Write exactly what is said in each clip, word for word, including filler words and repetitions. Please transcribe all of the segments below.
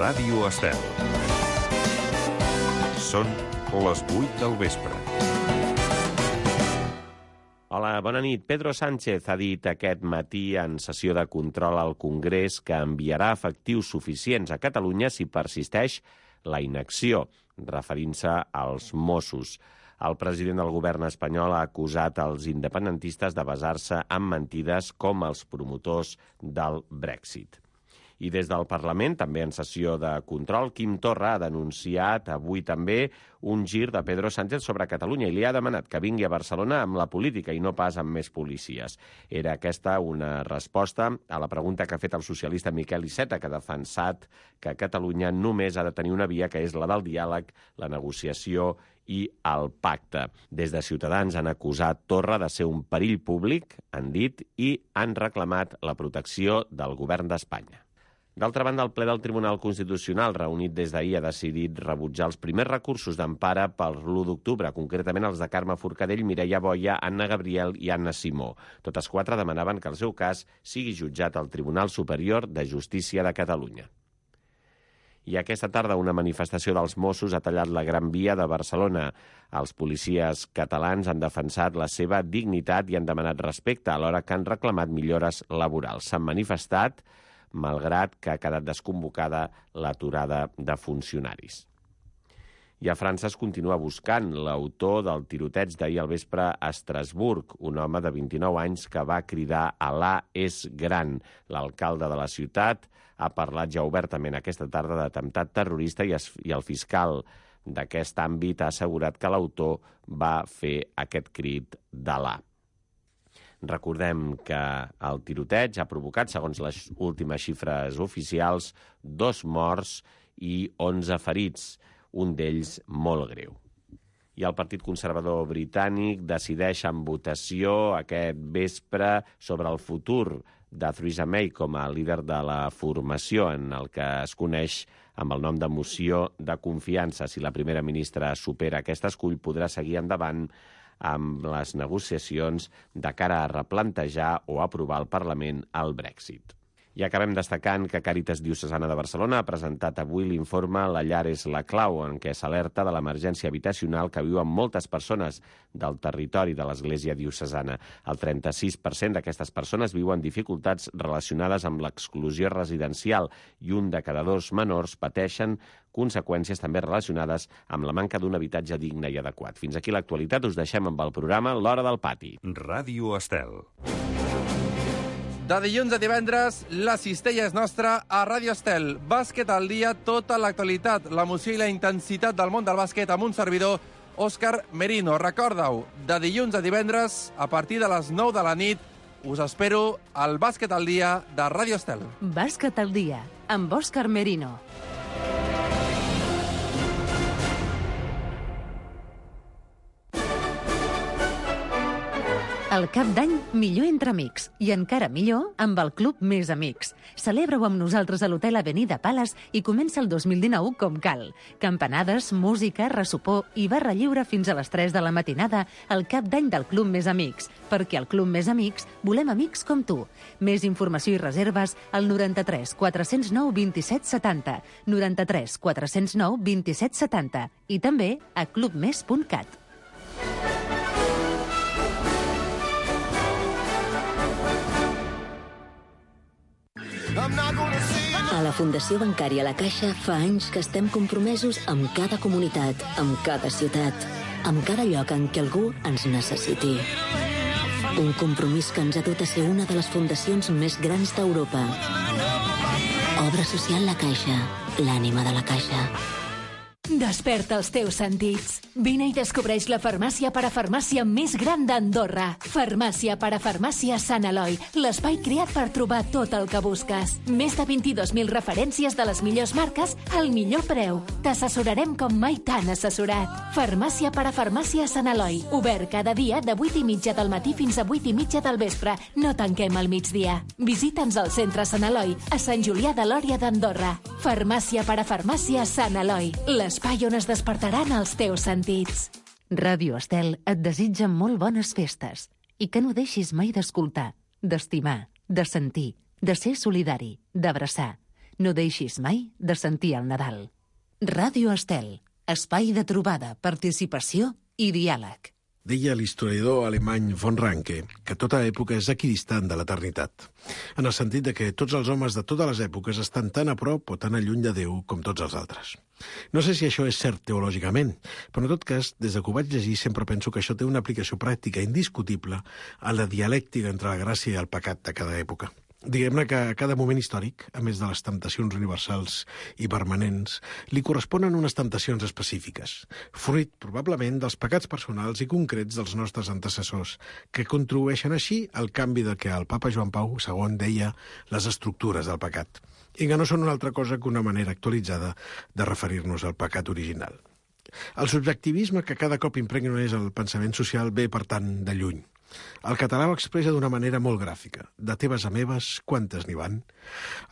Ràdio Estel. Són les vuit del vespre. Hola, bona nit. Pedro Sánchez ha dit aquest matí en sessió de control al Congrés que enviarà efectius suficients a Catalunya si persisteix la inacció, referint-se als Mossos. El president del govern espanyol ha acusat els independentistes de basar-se en mentides com els promotors del Brexit. I des del Parlament, també en sessió de control, Quim Torra ha denunciat avui també un gir de Pedro Sánchez sobre Catalunya i li ha demanat que vingui a Barcelona amb la política i no pas amb més policies. Era aquesta una resposta a la pregunta que ha fet el socialista Miquel Iceta, que ha defensat que Catalunya només ha de tenir una via, que és la del diàleg, la negociació i el pacte. Des de Ciutadans han acusat Torra de ser un perill públic, han dit, i han reclamat la protecció del govern d'Espanya. D'altra banda, el ple del Tribunal Constitucional, reunit des d'ahir, ha decidit rebutjar els primers recursos d'empara per l'u d'octubre, concretament els de Carme Forcadell, Mireia Boia, Anna Gabriel i Anna Simó. Totes quatre demanaven que el seu cas sigui jutjat al Tribunal Superior de Justícia de Catalunya. I aquesta tarda una manifestació dels Mossos ha tallat la Gran Via de Barcelona. Els policies catalans han defensat la seva dignitat i han demanat respecte, alhora que han reclamat millores laborals. S'han manifestat malgrat que ha quedat desconvocada l'aturada de funcionaris. I a França es continua buscant l'autor del tiroteig d'ahir al vespre a Estrasburg, un home de vint-i-nou anys que va cridar «Alà és gran». L'alcalde de la ciutat ha parlat ja obertament aquesta tarda d'atemptat terrorista i, es, i el fiscal d'aquest àmbit ha assegurat que l'autor va fer aquest crit d'Alà. Recordem que el tiroteig ha provocat, segons les últimes xifres oficials, dos morts i onze ferits, un d'ells molt greu. I el Partit Conservador britànic decideix en votació aquest vespre sobre el futur de Theresa May com a líder de la formació, en el que es coneix amb el nom de moció de confiança. Si la primera ministra supera aquest escull, podrà seguir endavant amb les negociacions de cara a replantejar o aprovar al Parlament el Brexit. I acabem destacant que Càritas Diocesana de Barcelona ha presentat avui l'informe La llar és la clau, en què s'alerta de l'emergència habitacional que viuen moltes persones del territori de l'Església Diocesana. El trenta-sis per cent d'aquestes persones viuen dificultats relacionades amb l'exclusió residencial i un de cada dos menors pateixen conseqüències també relacionades amb la manca d'un habitatge digne i adequat. Fins aquí l'actualitat, us deixem amb el programa L'Hora del Pati. Ràdio Estel. De dilluns a divendres, la cistella és nostra a Ràdio Estel. Bàsquet al dia, tota l'actualitat, l'emoció i la intensitat del món del bàsquet amb un servidor, Òscar Merino. Recorda-ho, de dilluns a divendres, a partir de les nou de la nit, us espero al Bàsquet al dia de Ràdio Estel. Bàsquet al dia, amb Òscar Merino. El cap d'any, millor entre amics. I encara millor amb el Club Més Amics. Celebra-ho amb nosaltres a l'Hotel Avenida Palace i comença el dos mil dinou com cal. Campanades, música, ressopor i barra lliure fins a les tres de la matinada al cap d'any del Club Més Amics. Perquè al Club Més Amics volem amics com tu. Més informació i reserves al noranta-tres quatre cents nou vint-i-set setanta, noranta-tres quatre cents nou vint-i-set setanta i també a club més punt cat. A la Fundació Bancària La Caixa fa anys que estem compromesos amb cada comunitat, amb cada ciutat, amb cada lloc en què algú ens necessiti. Un compromís que ens ha dut a ser una de les fundacions més grans d'Europa. Obra social La Caixa, l'ànima de la Caixa. Desperta els teus sentits. Vine i descobreix la farmàcia parafarmàcia més gran d'Andorra. Farmàcia parafarmàcia Sant Eloi, l'espai creat per trobar tot el que busques. Més de vint-i-dos mil referències de les millors marques al millor preu. T'assessorarem com mai t'han assessorat. Farmàcia parafarmàcia Sant Eloi, obert cada dia de vuit i mitja del matí fins a vuit i mitja del vespre. No tanquem al migdia. Visita'ns al centre Sant Eloi, a Sant Julià de Lòria d'Andorra. Farmàcia parafarmàcia Sant Eloi, l'espai on es despertaran els teus sentits. Ràdio Estel et desitja molt bones festes i que no deixis mai d'escoltar, d'estimar, de sentir, de ser solidari, d'abraçar. No deixis mai de sentir el Nadal. Ràdio Estel, espai de trobada, participació i diàleg. Deia l'historiador alemany von Ranke que tota època és equidistant de l'eternitat, en el sentit de que tots els homes de totes les èpoques estan tan a prop o tan a lluny de Déu com tots els altres. No sé si això és cert teològicament, però en tot cas, des que ho vaig llegir sempre penso que això té una aplicació pràctica indiscutible a la dialèctica entre la gràcia i el pecat de cada època. Diguem-ne que a cada moment històric, a més de les temptacions universals i permanents, li corresponen unes temptacions específiques, fruit probablement dels pecats personals i concrets dels nostres antecessors, que contribueixen així al canvi del que el papa Joan Pau segon deia les estructures del pecat, i que no són una altra cosa que una manera actualitzada de referir-nos al pecat original. El subjectivisme que cada cop impregna més el pensament social ve, per tant, de lluny. El català ho expressa d'una manera molt gràfica. De teves a meves, quantes n'hi van?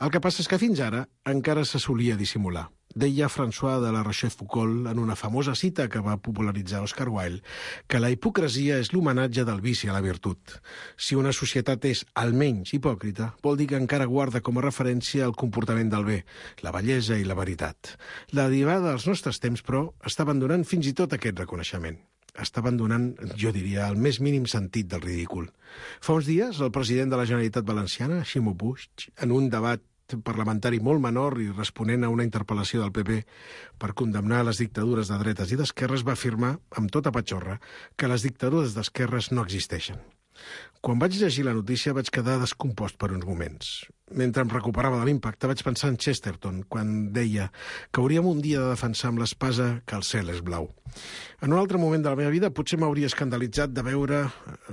El que passa és que fins ara encara se solia dissimular. Deia François de la Rochefoucauld en una famosa cita que va popularitzar Oscar Wilde que la hipocresia és l'homenatge del vici a la virtut. Si una societat és almenys hipòcrita, vol dir que encara guarda com a referència el comportament del bé, la bellesa i la veritat. La derivada dels nostres temps, però, està abandonant fins i tot aquest reconeixement. Està abandonant, jo diria, el més mínim sentit del ridícul. Fa uns dies, el president de la Generalitat Valenciana, Ximo Puig, en un debat parlamentari molt menor i responent a una interpel·lació del P P per condemnar les dictadures de dretes i d'esquerres, va afirmar, amb tota patxorra, que les dictadures d'esquerres no existeixen. Quan vaig llegir la notícia vaig quedar descompost per uns moments. Mentre em recuperava de l'impacte vaig pensar en Chesterton, quan deia que hauríem un dia de defensar amb l'espasa que el cel és blau. En un altre moment de la meva vida potser m'hauria escandalitzat de veure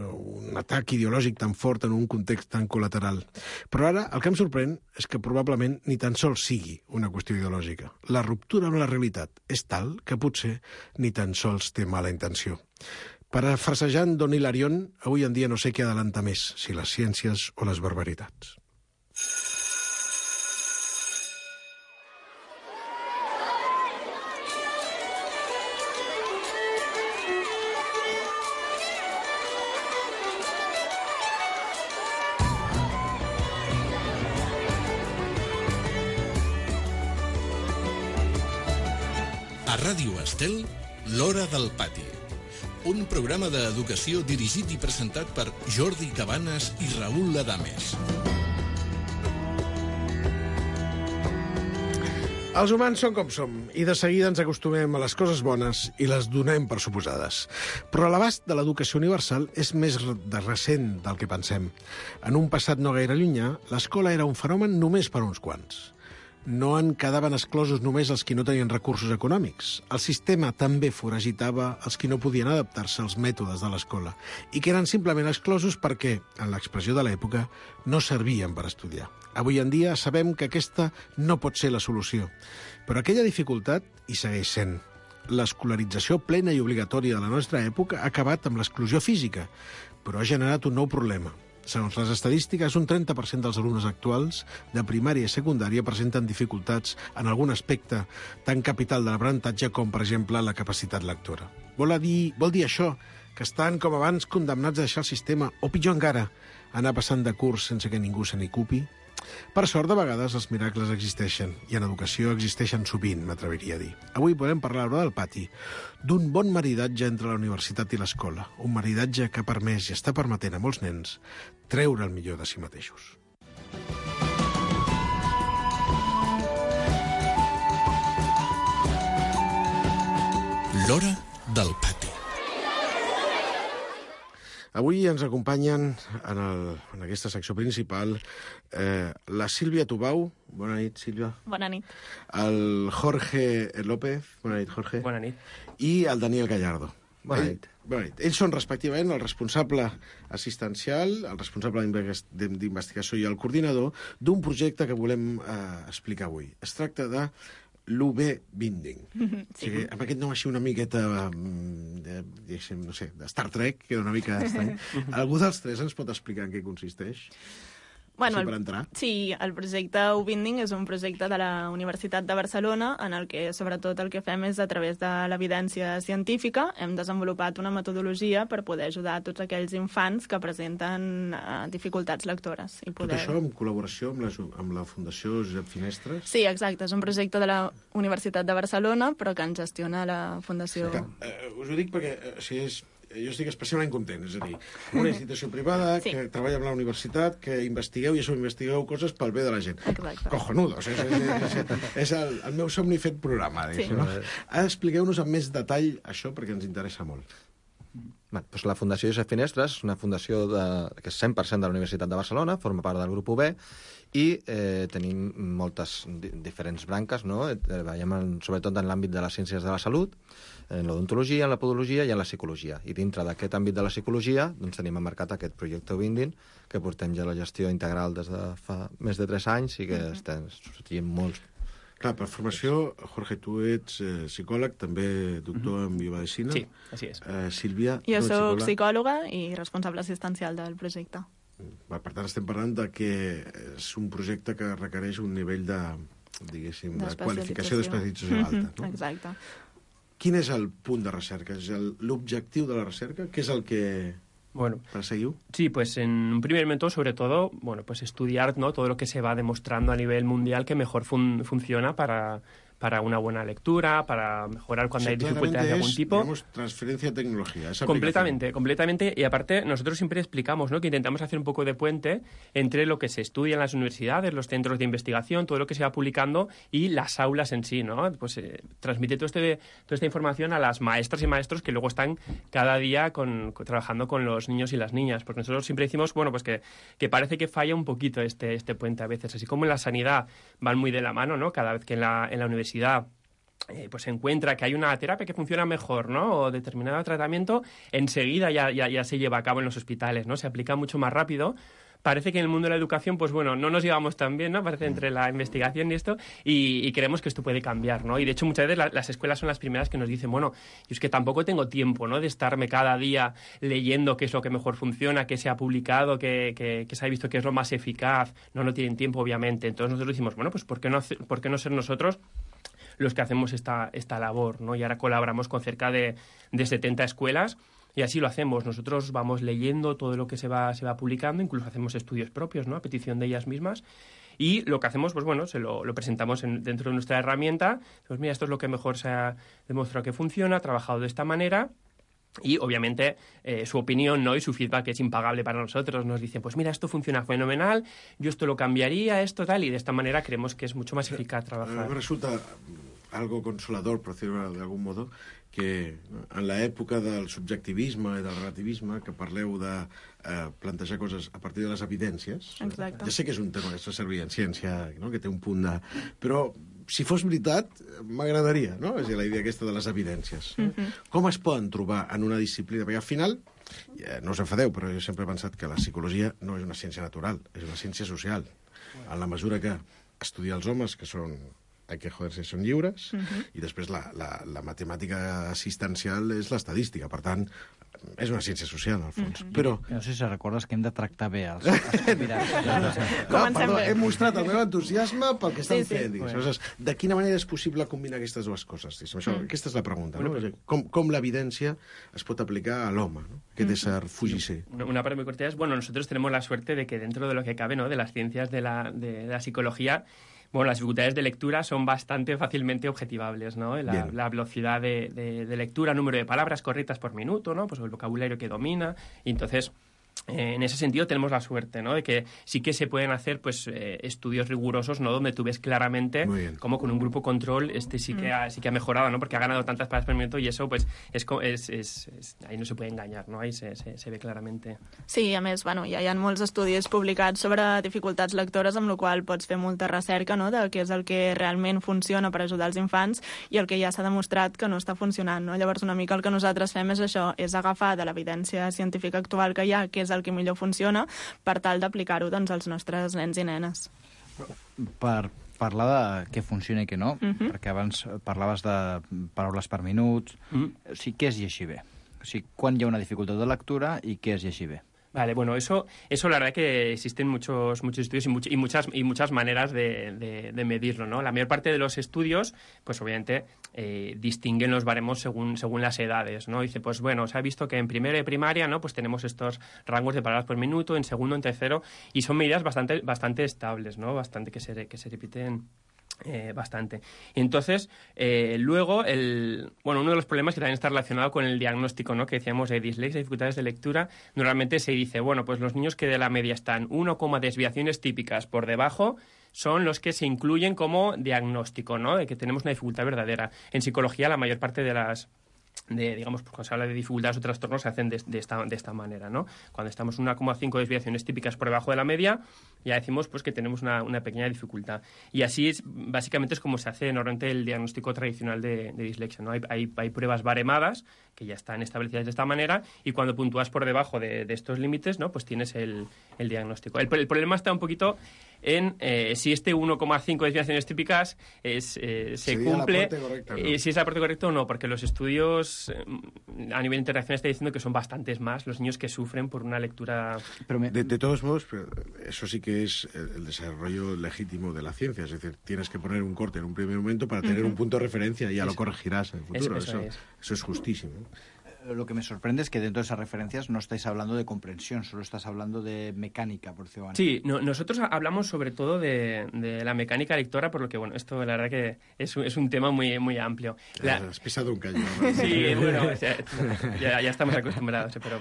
un atac ideològic tan fort en un context tan col·lateral. Però ara el que em sorprèn és que probablement ni tan sols sigui una qüestió ideològica. La ruptura amb la realitat és tal que potser ni tan sols té mala intenció. Parafrasejant Don Hilarión, avui en dia no sé què adelanta més, si les ciències o les barbaritats. A Ràdio Estel, l'Hora del Pati. Un programa d'educació dirigit i presentat per Jordi Cabanes i Raül Adames. Els humans són com som, i de seguida ens acostumem a les coses bones i les donem per suposades. Però l'abast de l'educació universal és més de recent del que pensem. En un passat no gaire llunyà, l'escola era un fenomen només per uns quants. No en quedaven exclosos només els qui no tenien recursos econòmics. El sistema també foragitava els qui no podien adaptar-se als mètodes de l'escola i que eren simplement exclosos perquè, en l'expressió de l'època, no servien per estudiar. Avui en dia sabem que aquesta no pot ser la solució, però aquella dificultat hi segueix sent. L'escolarització plena i obligatòria de la nostra època ha acabat amb l'exclusió física, però ha generat un nou problema. Segons les estadístiques, un trenta per cent dels alumnes actuals de primària i secundària presenten dificultats en algun aspecte tan capital de l'aprenentatge com, per exemple, la capacitat lectora. Vol dir, vol dir això, que estan, com abans, condemnats a deixar el sistema, o pitjor encara, anar passant de curs sense que ningú se n'ocupi? Per sort, de vegades, els miracles existeixen, i en educació existeixen sovint, m'atreviria a dir. Avui podem parlar a l'Hora del Pati d'un bon maridatge entre la universitat i l'escola, un maridatge que ha permès i està permetent a molts nens treure el millor de si mateixos. L'Hora del Pati. Avui ens acompanyen en, el, en aquesta secció principal eh, la Sílvia Tubau. Bona nit, Sílvia. Bona nit. El Jorge López. Bona nit, Jorge. Bona nit. I el Daniel Gallardo. Bona nit. Ell, bona nit. Ells són, respectivament, el responsable assistencial, el responsable d'investigació i el coordinador d'un projecte que volem eh, explicar avui. Es tracta de l'U B Binding. Sí. O sigui, amb aquest nom així una miqueta, de, de, no sé, de Star Trek, que era una mica estrany. Algú dels tres ens pot explicar en què consisteix? Bueno, sí, per entrar. Sí, el projecte Ubinding és un projecte de la Universitat de Barcelona en el que sobretot el que fem és a través de l'evidència científica hem desenvolupat una metodologia per poder ajudar a tots aquells infants que presenten uh, dificultats lectores. I poder... Tot això en col·laboració amb la, amb la Fundació Josep Finestres? Sí, exacte, és un projecte de la Universitat de Barcelona però que en gestiona la Fundació... Sí. Eh, us ho dic perquè eh, si és... jo estic especialment content, és a dir, una institució privada sí. que treballa amb la universitat, que investigueu i això investigueu coses pel bé de la gent. Exacte. Cojonudo, és, és, és, és el, el meu somni fet programa. Sí. No? Expliqueu-nos amb més detall això perquè ens interessa molt. Bé, doncs la Fundació Josep Finestres és una fundació de, que és cent per cent de la Universitat de Barcelona, forma part del grup U B, i eh, tenim moltes di diferents branques, no? Treballem en, sobretot en l'àmbit de les ciències de la salut, en l'odontologia, en la podologia i en la psicologia. I dintre d'aquest àmbit de la psicologia doncs, tenim emmarcat aquest projecte Ubinding, que portem ja la gestió integral des de fa més de tres anys i que mm-hmm. estem sortint molts. Clar, per formació, Jorge, tu ets eh, psicòleg, també doctor mm-hmm. en biomedicina. Sí, així és. Eh, Sílvia... Jo soc psicòloga i responsable assistencial del projecte. Per tant, estem parlant de que és un projecte que requereix un nivell de, diguéssim, de qualificació d'especialització alta. No? Exacte. Quin és el punt de recerca? És l'objectiu de la recerca? Què és el que bueno, perseguiu? Sí, pues en un primer momento, sobre todo, bueno, pues estudiar, ¿no?, todo lo que se va demostrando a nivel mundial que mejor fun funciona para... para una buena lectura, para mejorar cuando o sea, hay dificultades de algún es, tipo. Digamos, transferencia de tecnología. Esa completamente, completamente. Y aparte, nosotros siempre explicamos, ¿no?, que intentamos hacer un poco de puente entre lo que se estudia en las universidades, los centros de investigación, todo lo que se va publicando y las aulas en sí, ¿no? Pues eh, transmite todo este, toda esta información a las maestras y maestros que luego están cada día con, con, trabajando con los niños y las niñas. Porque nosotros siempre decimos, bueno, pues que, que parece que falla un poquito este, este puente a veces. Así como en la sanidad van muy de la mano, ¿no? Cada vez que en la, en la universidad Eh, pues se encuentra que hay una terapia que funciona mejor, ¿no?, o determinado tratamiento, enseguida ya, ya, ya se lleva a cabo en los hospitales, ¿no? Se aplica mucho más rápido. Parece que en el mundo de la educación, pues bueno, no nos llevamos tan bien, ¿no? Parece entre la investigación y esto, y, y creemos que esto puede cambiar, ¿no? Y de hecho muchas veces la, las escuelas son las primeras que nos dicen, bueno, yo es que tampoco tengo tiempo, ¿no?, de estarme cada día leyendo qué es lo que mejor funciona, qué se ha publicado, qué, qué, qué se ha visto que es lo más eficaz. No, no tienen tiempo, obviamente. Entonces nosotros decimos, bueno, pues ¿por qué no, por qué no ser nosotros los que hacemos esta, esta labor, ¿no? Y ahora colaboramos con cerca de, de setenta escuelas y así lo hacemos. Nosotros vamos leyendo todo lo que se va, se va publicando, incluso hacemos estudios propios, ¿no?, a petición de ellas mismas. Y lo que hacemos, pues bueno, se lo, lo presentamos en, dentro de nuestra herramienta. Pues mira, esto es lo que mejor se ha demostrado que funciona, ha trabajado de esta manera. Y, obviamente, eh, su opinión, ¿no?, y su feedback es impagable para nosotros. Nos dicen, pues mira, esto funciona fenomenal, yo esto lo cambiaría, esto tal, y de esta manera creemos que es mucho más eficaz trabajar. Me resulta algo consolador, per dir-ho d'algun modo, que en l'època del subjectivisme i del relativisme, que parleu de eh, plantejar coses a partir de les evidències. Exacte. Ja sé que és un tema que s'ha servit en ciència, no?, que té un punt de... Però si fos veritat, m'agradaria, no?, és a dir, la idea aquesta de les evidències. Mm-hmm. Com es poden trobar en una disciplina? Perquè al final, ja, no us enfadeu, però jo sempre he pensat que la psicologia no és una ciència natural, és una ciència social. En la mesura que estudia els homes, que són... hay que joderse, són lliures, uh-huh. i després la, la, la matemàtica assistencial és l'estadística, per tant, és una ciència social, al fons. Uh-huh. Però... No sé si recordes que hem de tractar bé els, els convidats. No, perdó, he mostrat el meu entusiasme pel que estan sí, sí. fent. Bueno. De quina manera és possible combinar aquestes dues coses? Això, mm. Aquesta és la pregunta. Bueno, no? Com, com l'evidència es pot aplicar a l'home, ¿no?, aquest ésser fugisser. Una parte muy corta es, bueno, nosotros tenemos la suerte de que dentro de lo que cabe, ¿no?, de las ciencias de la, de, de la psicología, bueno, las dificultades de lectura son bastante fácilmente objetivables, ¿no? La, la velocidad de, de, de lectura, número de palabras correctas por minuto, ¿no?, pues el vocabulario que domina, y entonces... Eh, en ese sentido tenemos la suerte, ¿no?, de que sí que se pueden hacer, pues, eh, estudios rigurosos, ¿no?, donde tú ves claramente cómo con un grupo control este sí que ha, sí que ha mejorado, ¿no?, porque ha ganado tantas palabras por minuto, y eso, pues, es, es, es, es ahí no se puede engañar, ¿no?, ahí se, se, se ve claramente. Sí, a més, bueno, ja hi ha molts estudis publicats sobre dificultats lectores, amb la qual pots fer molta recerca, no?, de què és el que realment funciona per ajudar els infants i el que ja s'ha demostrat que no està funcionant, no? Llavors, una mica el que nosaltres fem és això, és agafar de l'evidència científica actual que hi ha, que és el que millor funciona, per tal d'aplicar-ho, doncs, als nostres nens i nenes. Per parlar de què funciona i què no, uh-huh. perquè abans parlaves de paraules per minuts, uh-huh. o sigui, què és llegir bé? O sigui, quan hi ha una dificultat de lectura i què és llegir bé? Vale, bueno, eso, eso la verdad que existen muchos, muchos estudios y, much, y, muchas, y muchas maneras de, de, de medirlo, ¿no? La mayor parte de los estudios, pues obviamente, eh, distinguen los baremos según, según las edades, ¿no? Dice, pues bueno, se ha visto que en primero de primaria, ¿no? Pues tenemos estos rangos de palabras por minuto, en segundo, en tercero, y son medidas bastante, bastante estables, ¿no? Bastante que se, que se repiten Eh, bastante. Y entonces, eh, luego, el, bueno, uno de los problemas que también está relacionado con el diagnóstico, ¿no? Que decíamos de dislexia, dificultades de lectura, normalmente se dice, bueno, pues los niños que de la media están uno, desviaciones típicas por debajo son los que se incluyen como diagnóstico, ¿no? De que tenemos una dificultad verdadera. En psicología, la mayor parte de las de, digamos, pues cuando se habla de dificultades o trastornos se hacen de, de, esta, de esta manera, ¿no? Cuando estamos uno coma cinco desviaciones típicas por debajo de la media, ya decimos pues que tenemos una, una pequeña dificultad. Y así es, básicamente es como se hace normalmente el diagnóstico tradicional de, de dislexia, ¿no? Hay, hay, hay pruebas baremadas que ya están establecidas de esta manera y cuando puntúas por debajo de, de estos límites, ¿no? Pues tienes el, el diagnóstico. El, el problema está un poquito en eh, si este uno coma cinco desviaciones típicas es, eh, se Sería cumple, el aporte correcto, ¿no? eh, si es el aporte correcto o no, porque los estudios eh, a nivel internacional están diciendo que son bastantes más los niños que sufren por una lectura... Pero me... de, de todos modos, eso sí que es el desarrollo legítimo de la ciencia, es decir, tienes que poner un corte en un primer momento para tener uh-huh. un punto de referencia y ya eso. Lo corregirás en el futuro. Eso, eso, eso, es. eso es justísimo. Lo que me sorprende es que dentro de esas referencias no estáis hablando de comprensión, solo estás hablando de mecánica, por decirlo así. Sí, no, nosotros hablamos sobre todo de, de la mecánica lectora, por lo que, bueno, esto la verdad que es, es un tema muy, muy amplio. La... Has pisado un cañón, ¿no? Sí, bueno, ya, ya estamos acostumbrados, pero...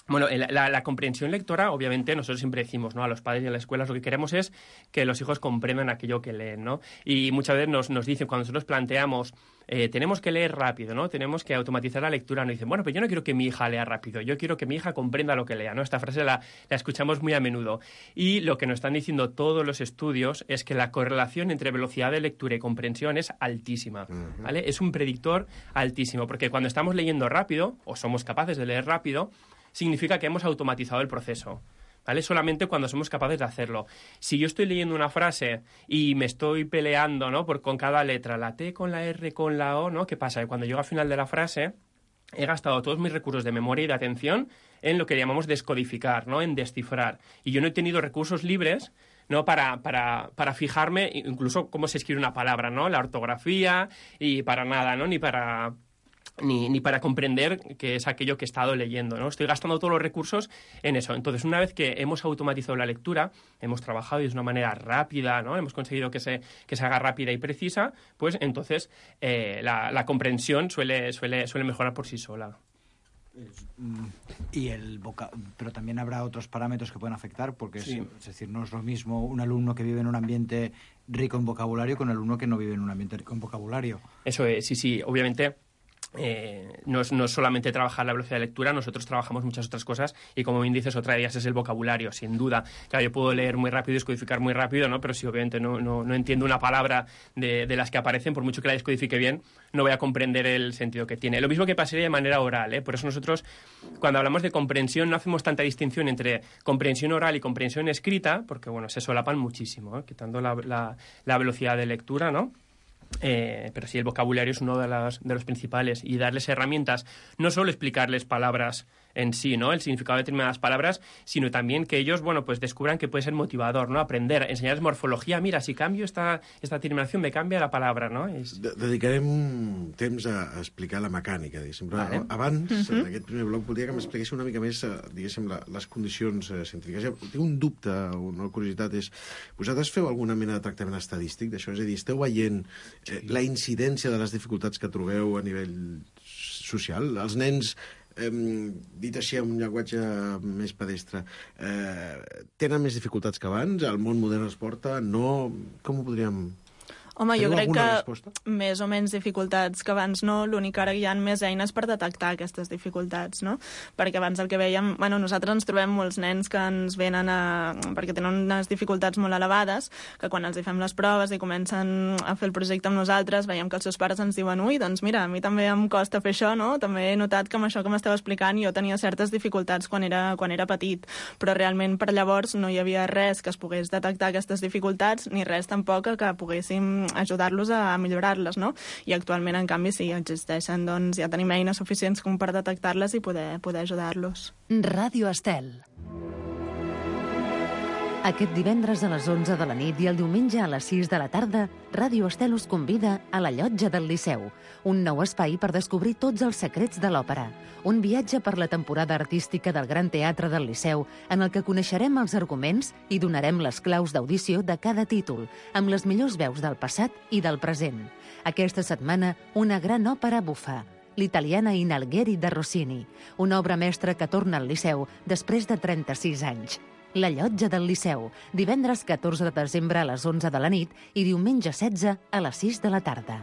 Bueno, la, la comprensión lectora, obviamente, nosotros siempre decimos, ¿no? A los padres y a las escuelas lo que queremos es que los hijos comprendan aquello que leen, ¿no? Y muchas veces nos, nos dicen, cuando nosotros planteamos, eh, tenemos que leer rápido, ¿no? Tenemos que automatizar la lectura, nos dicen, bueno, pero yo no quiero que mi hija lea rápido, yo quiero que mi hija comprenda lo que lea, ¿no? Esta frase la, la escuchamos muy a menudo. Y lo que nos están diciendo todos los estudios es que la correlación entre velocidad de lectura y comprensión es altísima, ¿vale? Es un predictor altísimo, porque cuando estamos leyendo rápido, o somos capaces de leer rápido, significa que hemos automatizado el proceso, ¿vale? Solamente cuando somos capaces de hacerlo. Si yo estoy leyendo una frase y me estoy peleando, ¿no? Por, con cada letra, la T con la R con la O, ¿no? ¿Qué pasa? Que cuando llego al final de la frase he gastado todos mis recursos de memoria y de atención en lo que llamamos descodificar, ¿no? En descifrar. Y yo no he tenido recursos libres, ¿no? Para, para, para fijarme incluso cómo se escribe una palabra, ¿no? La ortografía y para nada, ¿no? Ni para... Ni, ni para comprender qué es aquello que he estado leyendo, ¿no? Estoy gastando todos los recursos en eso. Entonces, una vez que hemos automatizado la lectura, hemos trabajado de una manera rápida, ¿no? Hemos conseguido que se, que se haga rápida y precisa, pues entonces eh, la, la comprensión suele, suele, suele mejorar por sí sola. Y el voca... Pero también habrá otros parámetros que pueden afectar, porque sí. es, es decir, no es lo mismo un alumno que vive en un ambiente rico en vocabulario con un alumno que no vive en un ambiente rico en vocabulario. Eso es, sí, sí, obviamente... Eh, no, es, no es solamente trabajar la velocidad de lectura, nosotros trabajamos muchas otras cosas y como bien dices, otra de ellas es el vocabulario, sin duda. Claro, yo puedo leer muy rápido y descodificar muy rápido, ¿no? Pero si obviamente no, no, no entiendo una palabra de, de las que aparecen, por mucho que la descodifique bien, no voy a comprender el sentido que tiene. Lo mismo que pasaría de manera oral, ¿eh? Por eso nosotros, cuando hablamos de comprensión, no hacemos tanta distinción entre comprensión oral y comprensión escrita, porque bueno, se solapan muchísimo, ¿eh? Quitando la, la, la velocidad de lectura, ¿no? Eh, pero sí, el vocabulario es uno de, las, de los principales y darles herramientas, no solo explicarles palabras en sí, ¿no? El significado de determinadas palabras, sino también que ellos, bueno, pues descubran que puede ser motivador, ¿no? Aprender, enseñarles morfología. Mira, si cambio esta, esta terminación, me cambia la palabra, ¿no? És... Dedicarem temps a, a explicar la mecànica, diguéssim. Però vale. Abans, uh-huh. en aquest primer bloc, voldria que m'expliquéssiu una mica més, diguéssim, la, les condicions eh, científiques. Ja, tinc un dubte, una curiositat, és... Vosaltres feu alguna mena de tractament estadístic d'això? És a dir, esteu veient eh, la incidència de les dificultats que trobeu a nivell social? Els nens... Eh, dit així amb un llenguatge més pedestre, eh, tenen més dificultats que abans? El món modern es porta? No? Com ho podríem... Home, jo crec que resposta? més o menys dificultats que abans no, l'únic ara hi ha més eines per detectar aquestes dificultats, no? Perquè abans el que veiem... Bueno, nosaltres ens trobem molts nens que ens venen a... perquè tenen unes dificultats molt elevades, que quan els hi fem les proves i comencen a fer el projecte amb nosaltres, veiem que els seus pares ens diuen ui, doncs mira, a mi també em costa fer això, no? També he notat que amb això que m'esteu explicant jo tenia certes dificultats quan era, quan era petit, però realment per llavors no hi havia res que es pogués detectar aquestes dificultats, ni res tampoc que poguéssim ajudar-los a millorar-les, no? I actualment, en canvi, sí, existeixen, doncs ja tenim eines suficients com per detectar-les i poder, poder ajudar-los. Ràdio Estel. Aquest divendres a les onze de la nit i el diumenge a les sis de la tarda, Ràdio Estel us convida a la Llotja del Liceu, un nou espai per descobrir tots els secrets de l'òpera, un viatge per la temporada artística del Gran Teatre del Liceu, en el que coneixerem els arguments i donarem les claus d'audició de cada títol, amb les millors veus del passat i del present. Aquesta setmana, una gran òpera bufa, l'italiana In Algheri de Rossini, una obra mestra que torna al Liceu després de trenta-sis anys. La Llotja del Liceu, divendres catorze de desembre a les onze de la nit i diumenge setze a les sis de la tarda.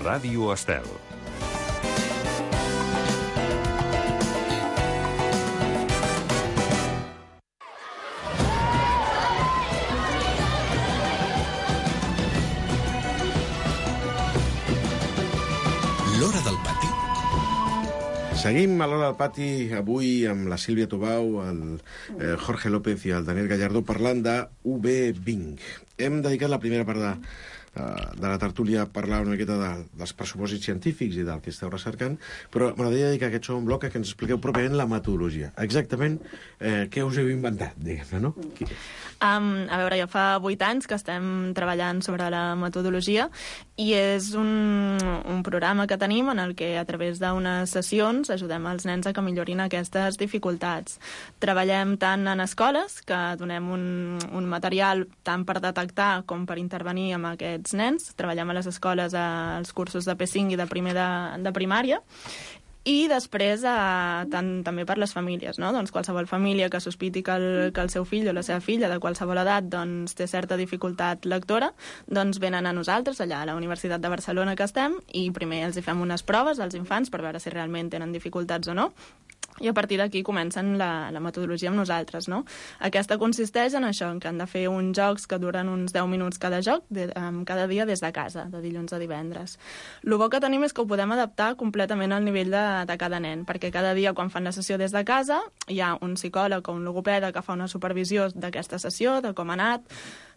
Ràdio Estel. L'Hora del Pati. Seguim a l'Hora del Pati avui amb la Sílvia Tobau, el eh, Jorge López i el Daniel Gallardó parlant de U B Bing. Hem dedicat la primera part de, de la tertúlia a parlar una miqueta de, dels pressupòsits científics i del que esteu recercant, però m'agradaria dedicar aquest segon bloc a que ens expliqueu pròpiament la metodologia. Exactament eh, què us heu inventat, diguem-ne, no? Um, a veure, ja fa vuit anys que estem treballant sobre la metodologia i és un, un programa que tenim en el que a través d'unes sessions ajudem els nens a que millorin aquestes dificultats. Treballem tant en escoles, que donem un, un material tant per detectar com per intervenir amb aquests nens. Treballem a les escoles als cursos de P cinc i de primer de, de primària. I després, eh, tant, també per les famílies, no? Doncs qualsevol família que sospiti que el, que el seu fill o la seva filla de qualsevol edat doncs, té certa dificultat lectora, doncs venen a nosaltres, allà a la Universitat de Barcelona que estem, i primer els hi fem unes proves als infants per veure si realment tenen dificultats o no, i a partir d'aquí comencen la, la metodologia amb nosaltres, no? Aquesta consisteix en això, en que han de fer uns jocs que duren uns deu minuts cada joc, de, um, cada dia des de casa, de dilluns a divendres. El bo que tenim és que ho podem adaptar completament al nivell de, de cada nen, perquè cada dia quan fan la sessió des de casa hi ha un psicòleg o un logopeda que fa una supervisió d'aquesta sessió, de com ha anat,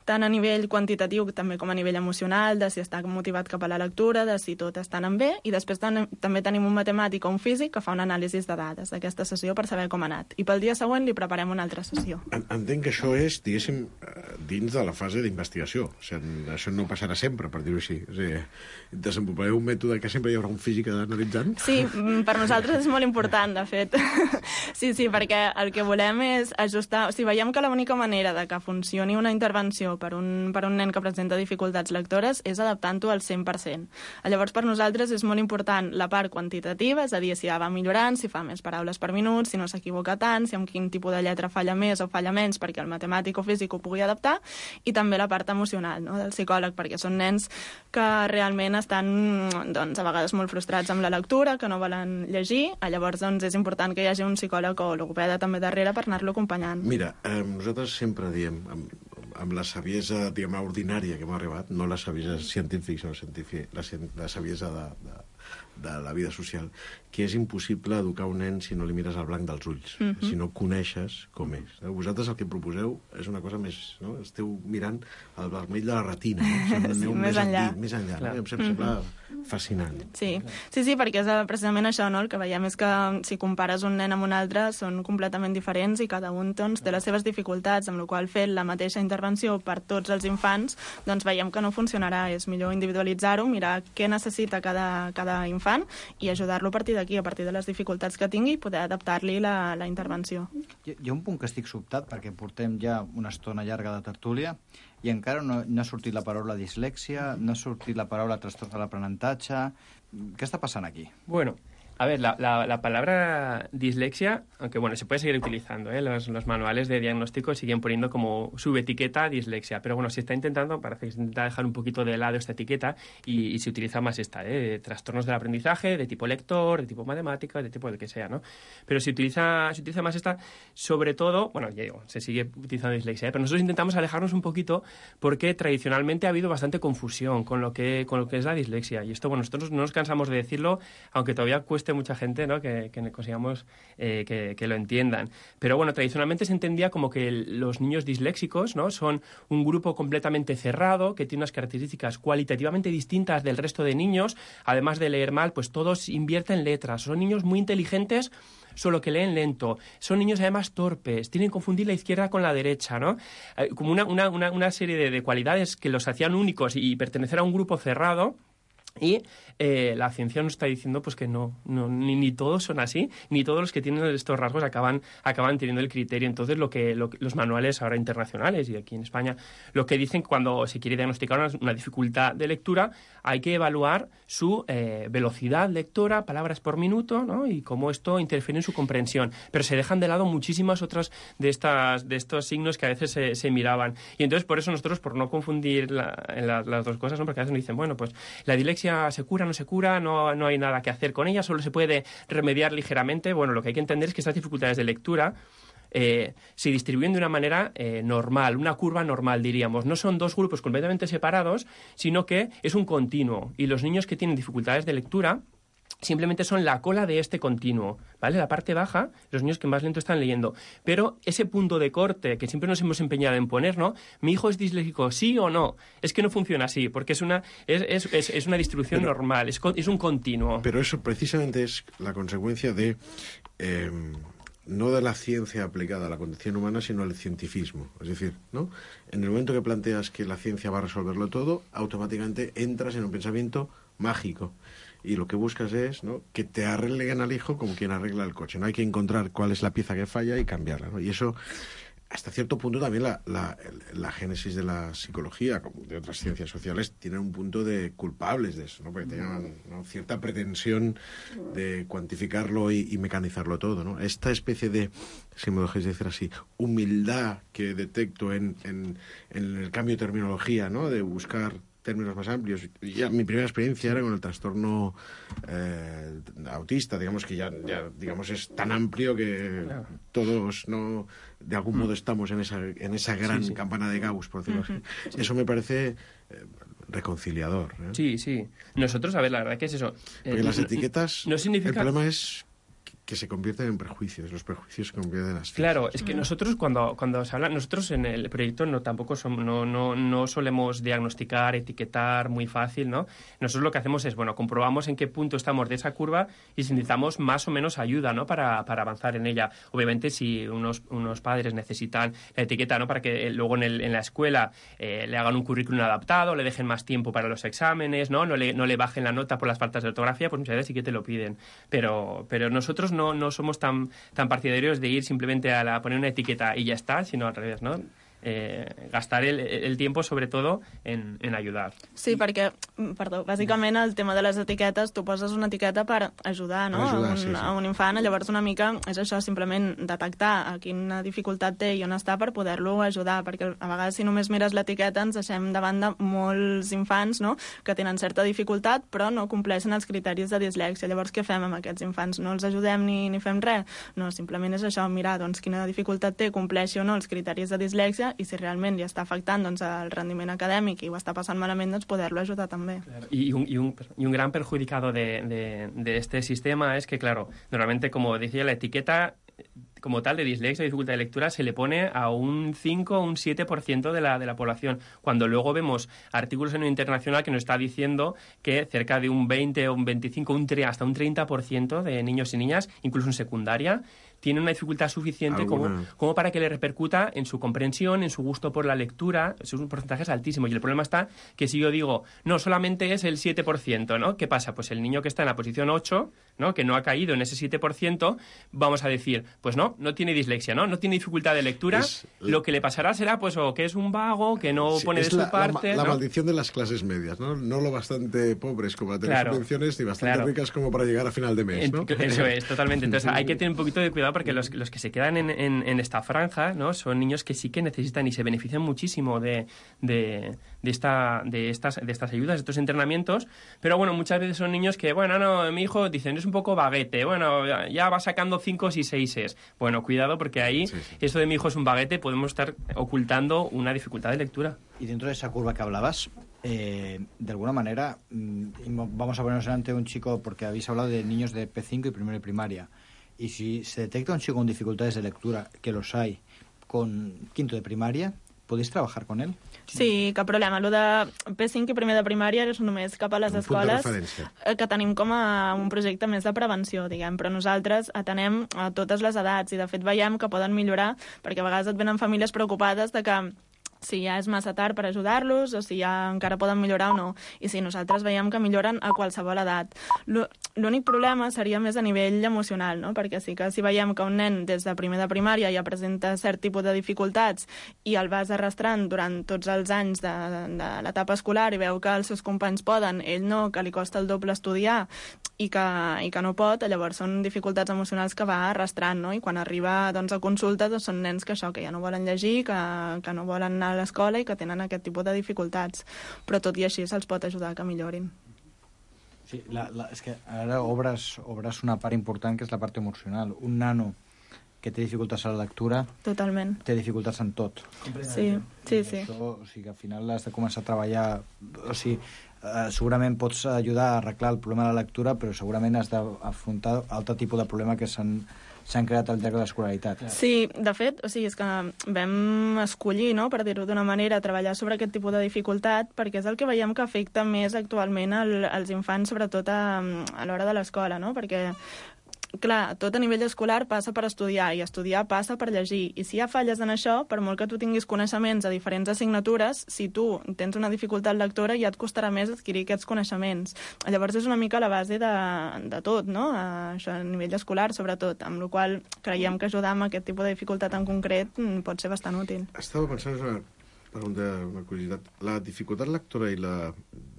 tant a nivell quantitatiu també com a nivell emocional, de si està motivat cap a la lectura, de si tot està anant bé, i després ten també tenim un matemàtic o un físic que fa un anàlisi de dades d'aquesta sessió per saber com ha anat. I pel dia següent li preparem una altra sessió. Entenc que això és, diguéssim, dins de la fase d'investigació. O sigui, això no passarà sempre, per dir-ho així. O sigui, desenvolupareu un mètode que sempre hi haurà un físic analitzant? Sí, per nosaltres és molt important, de fet. Sí, sí, perquè el que volem és ajustar... O sigui, veiem que l'única manera de que funcioni una intervenció per un, per un nen que presenta dificultats lectores és adaptant-ho al cent per cent. Llavors, per nosaltres és molt important la part quantitativa, és a dir, si ja va millorant, si fa més paraules per minut, si no s'equivoca tant, si amb quin tipus de lletra falla més o falla menys perquè el matemàtic o físic ho pugui adaptar, i també la part emocional, no?, del psicòleg, perquè són nens que realment estan, doncs, a vegades molt frustrats amb la lectura, que no volen llegir, llavors doncs, és important que hi hagi un psicòleg o logopeda també darrere per anar-lo acompanyant. Mira, eh, nosaltres sempre diem, amb, amb la saviesa, diguem, ordinària que hem arribat, no la saviesa científica, sinó científica, la, la saviesa de, de, de la vida social, que és impossible educar un nen si no li mires al blanc dels ulls, mm-hmm. si no coneixes com és. Vosaltres el que proposeu és una cosa més... No? Esteu mirant el vermell de la retina, no? Sí, més, més enllà. Dit, més enllà, no? Em sembla mm-hmm. fascinant. Sí. sí, sí, perquè és precisament això, no? El que veiem és que si compares un nen amb un altre són completament diferents i cada un doncs, té les seves dificultats, amb la qual fet la mateixa intervenció per tots els infants, doncs veiem que no funcionarà. És millor individualitzar-ho, mirar què necessita cada, cada infant i ajudar-lo a partir d'aquí, a partir de les dificultats que tingui, i poder adaptar-li la, la intervenció. Hi, hi ha un punt que estic sobtat, perquè portem ja una estona llarga de tertúlia i encara no, no ha sortit la paraula dislèxia, no ha sortit la paraula trastorn de l'aprenentatge. Què està passant aquí? Bueno, a ver, la, la, la palabra dislexia, aunque bueno, se puede seguir utilizando, ¿eh? los, los manuales de diagnóstico siguen poniendo como subetiqueta dislexia, pero bueno, se está intentando, parece que se intenta dejar un poquito de lado esta etiqueta y, y se utiliza más esta, ¿eh? Trastornos del aprendizaje, de tipo lector, de tipo matemática, de tipo del que sea, ¿no? Pero se utiliza, se utiliza más esta, sobre todo, bueno, ya digo, se sigue utilizando dislexia, ¿eh? Pero nosotros intentamos alejarnos un poquito porque tradicionalmente ha habido bastante confusión con lo que, con lo que es la dislexia, y esto, bueno, nosotros no nos cansamos de decirlo, aunque todavía cuesta guste mucha gente, ¿no? Que, que consigamos eh, que, que lo entiendan. Pero bueno, tradicionalmente se entendía como que el, los niños disléxicos, ¿no? Son un grupo completamente cerrado, que tiene unas características cualitativamente distintas del resto de niños. Además de leer mal, pues todos invierten letras. Son niños muy inteligentes, solo que leen lento. Son niños además torpes, tienen que confundir la izquierda con la derecha, ¿no? Eh, como una, una, una, una serie de, de cualidades que los hacían únicos y pertenecer a un grupo cerrado. Y eh, la ciencia nos está diciendo pues que no, no ni, ni todos son así, ni todos los que tienen estos rasgos acaban, acaban teniendo el criterio. Entonces, lo que, lo que los manuales ahora internacionales y aquí en España, lo que dicen cuando se quiere diagnosticar una, una dificultad de lectura, hay que evaluar su eh, velocidad lectora, palabras por minuto, ¿no? Y cómo esto interfiere en su comprensión. Pero se dejan de lado muchísimas otras de estas de estos signos que a veces se, se miraban. Y entonces, por eso nosotros, por no confundir la, la, las dos cosas, ¿no? Porque a veces nos dicen, bueno, pues la dislexia se cura, no se cura, no, no hay nada que hacer con ella, solo se puede remediar ligeramente. Bueno, lo que hay que entender es que estas dificultades de lectura eh, se distribuyen de una manera eh, normal, una curva normal, diríamos. No son dos grupos completamente separados, sino que es un continuo. Y los niños que tienen dificultades de lectura simplemente son la cola de este continuo, ¿vale? La parte baja, los niños que más lento están leyendo. Pero ese punto de corte que siempre nos hemos empeñado en poner, ¿no? ¿Mi hijo es disléxico, sí o no? Es que no funciona así, porque es una, es, es, es, es una distribución pero, normal, es, es un continuo. Pero eso precisamente es la consecuencia de... Eh, no de la ciencia aplicada a la condición humana, sino al cientifismo. Es decir, ¿no? En el momento que planteas que la ciencia va a resolverlo todo, automáticamente entras en un pensamiento mágico. Y lo que buscas es, ¿no?, que te arreglen al hijo como quien arregla el coche. No hay que encontrar cuál es la pieza que falla y cambiarla, ¿no? Y eso, hasta cierto punto, también la, la, la génesis de la psicología, como de otras ciencias sociales, tiene un punto de culpables de eso, ¿no? Porque tienen, ¿no?, cierta pretensión de cuantificarlo y, y mecanizarlo todo, ¿no? Esta especie de, si me dejéis decir así, humildad que detecto en, en, en el cambio de terminología, ¿no?, de buscar términos más amplios. Ya, mi primera experiencia era con el trastorno eh, autista, digamos que ya, ya digamos es tan amplio que claro, todos no de algún modo estamos en esa en esa gran sí, sí. campana de Gauss, por decirlo uh-huh. así. Eso me parece eh, reconciliador, ¿eh? Sí, sí. Nosotros, a ver, la verdad que es eso. Porque eh, las etiquetas, no significa... el problema es que se convierten en prejuicios, los prejuicios se convierten en asfixias. Claro, es que nosotros cuando, cuando se habla, nosotros en el proyecto no tampoco somos, no, no, no solemos diagnosticar, etiquetar muy fácil, ¿no? Nosotros lo que hacemos es, bueno, comprobamos en qué punto estamos de esa curva y si necesitamos más o menos ayuda, ¿no?, para, para avanzar en ella. Obviamente, si unos, unos padres necesitan la etiqueta, ¿no?, para que luego en, el, en la escuela eh, le hagan un currículum adaptado, le dejen más tiempo para los exámenes, ¿no?, no le, no le bajen la nota por las faltas de ortografía, pues muchas veces sí que te lo piden. Pero, pero nosotros no, no somos tan, tan partidarios de ir simplemente a, la, a poner una etiqueta y ya está, sino al revés, ¿no? Eh, gastar el, el tiempo, sobre todo, en, en ayudar. Sí, perquè, perdó, bàsicament el tema de les etiquetes, tu poses una etiqueta per ajudar, no?, ajudar, a, un, sí, sí. a un infant, llavors una mica és això, simplement detectar a quina dificultat té i on està per poder-lo ajudar, perquè a vegades si només mires l'etiqueta ens deixem davant de molts infants, no?, que tenen certa dificultat però no compleixen els criteris de dislèxia. Llavors què fem amb aquests infants? No els ajudem ni, ni fem res? No, simplement és això, mirar doncs, quina dificultat té, compleixi o no els criteris de dislèxia i si realment li està afectant doncs, el rendiment acadèmic i ho està passant malament, doncs poder-lo ajudar també. Claro. Y, un, y, un, y un gran perjudicado de, de, de este sistema es que, claro, normalmente, como decía, la etiqueta como tal de dislexia, dificultad de lectura, se le pone a un cinco o un siete por ciento de la, de la población, cuando luego vemos artículos en el internacional que nos está diciendo que cerca de un veinte o un veinticinco, un, hasta un treinta por ciento de niños y niñas, incluso en secundaria, tienen una dificultad suficiente como, como para que le repercuta en su comprensión, en su gusto por la lectura. Es un porcentaje altísimo. Y el problema está que si yo digo, no, solamente es el siete por ciento, ¿no? ¿Qué pasa? Pues el niño que está en la posición ocho, ¿no?, que no ha caído en ese siete por ciento, vamos a decir, pues no, no tiene dislexia, ¿no? No tiene dificultad de lectura. Es, lo que le pasará será, pues, o que es un vago, que no sí, pone de su la, parte. La, la ¿no? maldición de las clases medias, ¿no? No lo bastante pobres como para tener claro, subvenciones, ni bastante claro. ricas como para llegar a final de mes, ¿no? Eso es, totalmente. Entonces hay que tener un poquito de cuidado porque los, los que se quedan en, en, en esta franja, ¿no?, son niños que sí que necesitan y se benefician muchísimo de, de, de, esta, de, estas, de estas ayudas, de estos entrenamientos, pero bueno, muchas veces son niños que, bueno, no, mi hijo, dicen, es un poco baguete, bueno, ya va sacando cinco y seises. Bueno, cuidado porque ahí, sí, sí. esto de mi hijo es un baguete, podemos estar ocultando una dificultad de lectura. Y dentro de esa curva que hablabas, eh, de alguna manera, mm, vamos a ponernos ante un chico, porque habéis hablado de niños de P cinco y primero de primaria, y si se detecta un chico con dificultades de lectura, que los hay, con quinto de primaria, ¿podéis trabajar con él? Sí, cap problema. Lo de P cinc i primer de primària és només cap a les un escoles punt que tenim com a un projecte més de prevenció, diguem, però nosaltres atenem a totes les edats i de fet veiem que poden millorar perquè a vegades et venen famílies preocupades de que si ja és massa tard per ajudar-los o si ja encara poden millorar o no. I sí, nosaltres veiem que milloren a qualsevol edat. L'únic problema seria més a nivell emocional, no? Perquè sí que si veiem que un nen des de primer de primària ja presenta cert tipus de dificultats i el vas arrastrant durant tots els anys de, de l'etapa escolar i veu que els seus companys poden, ell no, que li costa el doble estudiar i que, i que no pot, llavors són dificultats emocionals que va arrastrant, no? I quan arriba doncs, a consulta doncs, són nens que això, que ja no volen llegir, que, que no volen anar a l'escola i que tenen aquest tipus de dificultats. Però tot i així se'ls pot ajudar que millorin. Sí, la, la, és que ara obres, obres una part important que és la part emocional. Un nano que té dificultats a la lectura Totalment. té dificultats en tot. Sí, sí, sí. Això, o sigui, que al final has de començar a treballar... O sigui, eh, segurament pots ajudar a arreglar el problema de la lectura, però segurament has d'afrontar altre tipus de problema que s'han s'han creat al llarg de l'escolaritat. Sí, de fet, o sigui, és que vam escollir, no?, per dir-ho d'una manera, treballar sobre aquest tipus de dificultat, perquè és el que veiem que afecta més actualment el, als infants, sobretot a, a l'hora de l'escola, no?, perquè clar, tot a nivell escolar passa per estudiar i estudiar passa per llegir i si hi ha falles en això, per molt que tu tinguis coneixements a diferents assignatures, si tu tens una dificultat lectora ja et costarà més adquirir aquests coneixements. Llavors és una mica la base de, de tot, no? A, això a nivell escolar sobretot, amb la qual creiem que ajudar amb aquest tipus de dificultat en concret pot ser bastant útil. Estava pensant, és una pregunta, una curiositat, la dificultat lectora i la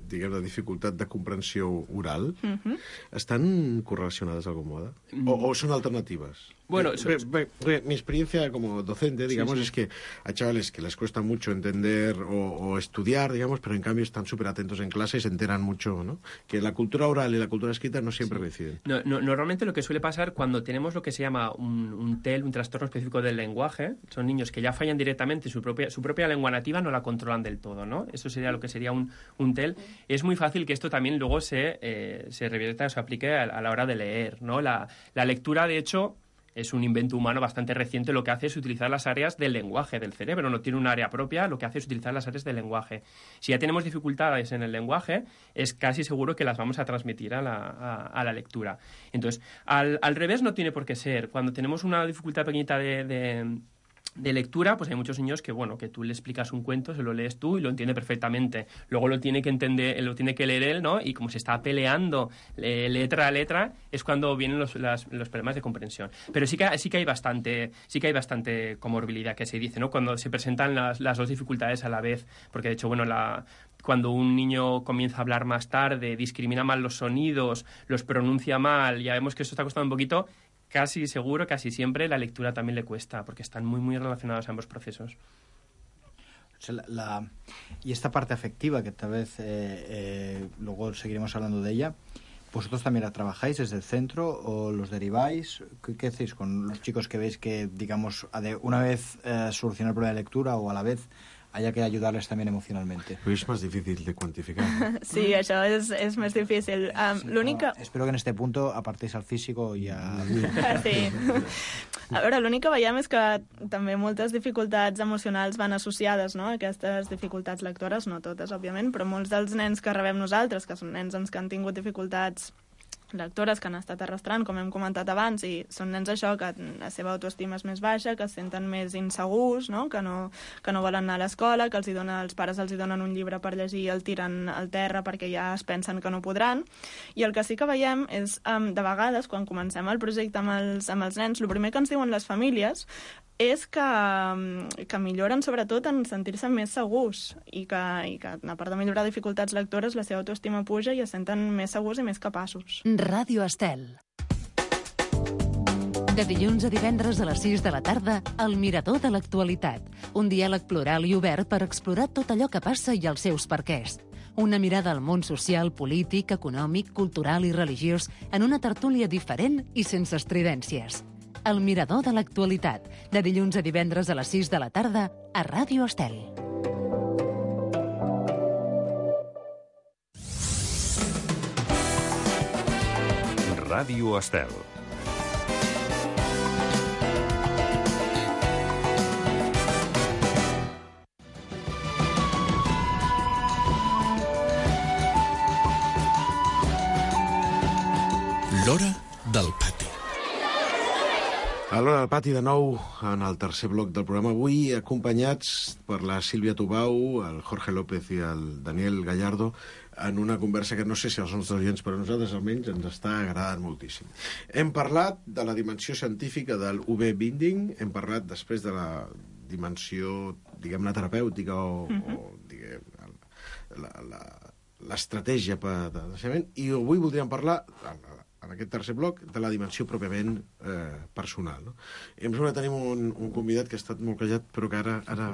diguem, la dificultat de comprensió oral, uh-huh. estan correlacionadas de algún modo? ¿O, o son alternativas? Bueno, eh, so... be, be, mi experiencia como docente, digamos, sí, sí. es que hay chavales que les cuesta mucho entender o, o estudiar, digamos, pero en cambio están súper atentos en clase y se enteran mucho, ¿no? Que la cultura oral y la cultura escrita no siempre sí. coinciden. No, no, normalmente lo que suele pasar cuando tenemos lo que se llama un, un T E L, un trastorno específico del lenguaje, son niños que ya fallan directamente, su propia, su propia lengua nativa no la controlan del todo, ¿no? Eso sería lo que sería un, un T E L. Es muy fácil que esto también luego se, eh, se revierta o se aplique a, a la hora de leer, ¿no? La, la lectura, de hecho, es un invento humano bastante reciente. Lo que hace es utilizar las áreas del lenguaje del cerebro. No tiene un área propia, lo que hace es utilizar las áreas del lenguaje. Si ya tenemos dificultades en el lenguaje, es casi seguro que las vamos a transmitir a la, a, a la lectura. Entonces, al, al revés no tiene por qué ser. Cuando tenemos una dificultad pequeñita de... de de lectura, pues hay muchos niños que, bueno, que tú le explicas un cuento, se lo lees tú y lo entiende perfectamente. Luego lo tiene que entender, lo tiene que leer él, ¿no? Y como se está peleando eh, letra a letra, es cuando vienen los, las, los problemas de comprensión. Pero sí que, sí que hay bastante, sí que hay bastante comorbilidad que se dice, ¿no? Cuando se presentan las, las dos dificultades a la vez, porque de hecho, bueno, la... cuando un niño comienza a hablar más tarde, discrimina mal los sonidos, los pronuncia mal, ya vemos que eso está costando un poquito. Casi seguro, casi siempre, la lectura también le cuesta, porque están muy, muy relacionados ambos procesos. O sea, la, la, y esta parte afectiva, que tal vez eh, eh, luego seguiremos hablando de ella, ¿vosotros también la trabajáis desde el centro o los deriváis? ¿Qué, qué hacéis con los chicos que veis que, digamos, una vez eh, solucionar el problema de lectura o a la vez haya que ayudarles también emocionalmente? Pero es más difícil de cuantificar. Sí, això és, és més difícil. Um, sí, l'única... no, espero que en este punto apartéis al físico i a... Sí. A veure, l'únic que veiem és que també moltes dificultats emocionals van associades, no?, a aquestes dificultats lectores, no totes, òbviament, però molts dels nens que rebem nosaltres, que són nens que han tingut dificultats lectores que han estat arrastrant, com hem comentat abans, i són nens això, que la seva autoestima és més baixa, que es senten més insegurs, no? Que, no, que no volen anar a l'escola, que els, hi dona, els pares els hi donen un llibre per llegir i el tiren al terra perquè ja es pensen que no podran. I el que sí que veiem és, um, de vegades, quan comencem el projecte amb els, amb els nens, el primer que ens diuen les famílies és que, que milloren sobretot en sentir-se més segurs i que, i que a part de millorar dificultats lectores la seva autoestima puja i es senten més segurs i més capaços. Ràdio Estel. De dilluns a divendres a les sis de la tarda, El Mirador de l'Actualitat. Un diàleg plural i obert per explorar tot allò que passa i els seus perquès. Una mirada al món social, polític, econòmic, cultural i religiós en una tertúlia diferent i sense estridències. El Mirador de l'Actualitat, de dilluns a divendres a les sis de la tarda, a Ràdio Estel. Ràdio Estel. L'hora del pati. A l'hora del pati, de nou, en el tercer bloc del programa, avui acompanyats per la Sílvia Tubau, el Jorge López i el Daniel Gallardo, en una conversa que no sé si els nostres oients, però a nosaltres almenys ens està agradant moltíssim. Hem parlat de la dimensió científica del U V binding, hem parlat després de la dimensió, diguem-ne, terapèutica o, mm-hmm. o diguem, l'estratègia per de naixement, i avui voldríem parlar, en aquest tercer bloc, de la dimensió pròpiament eh, personal. No? I em sembla que tenim un, un convidat que ha estat molt callat, però que ara, ara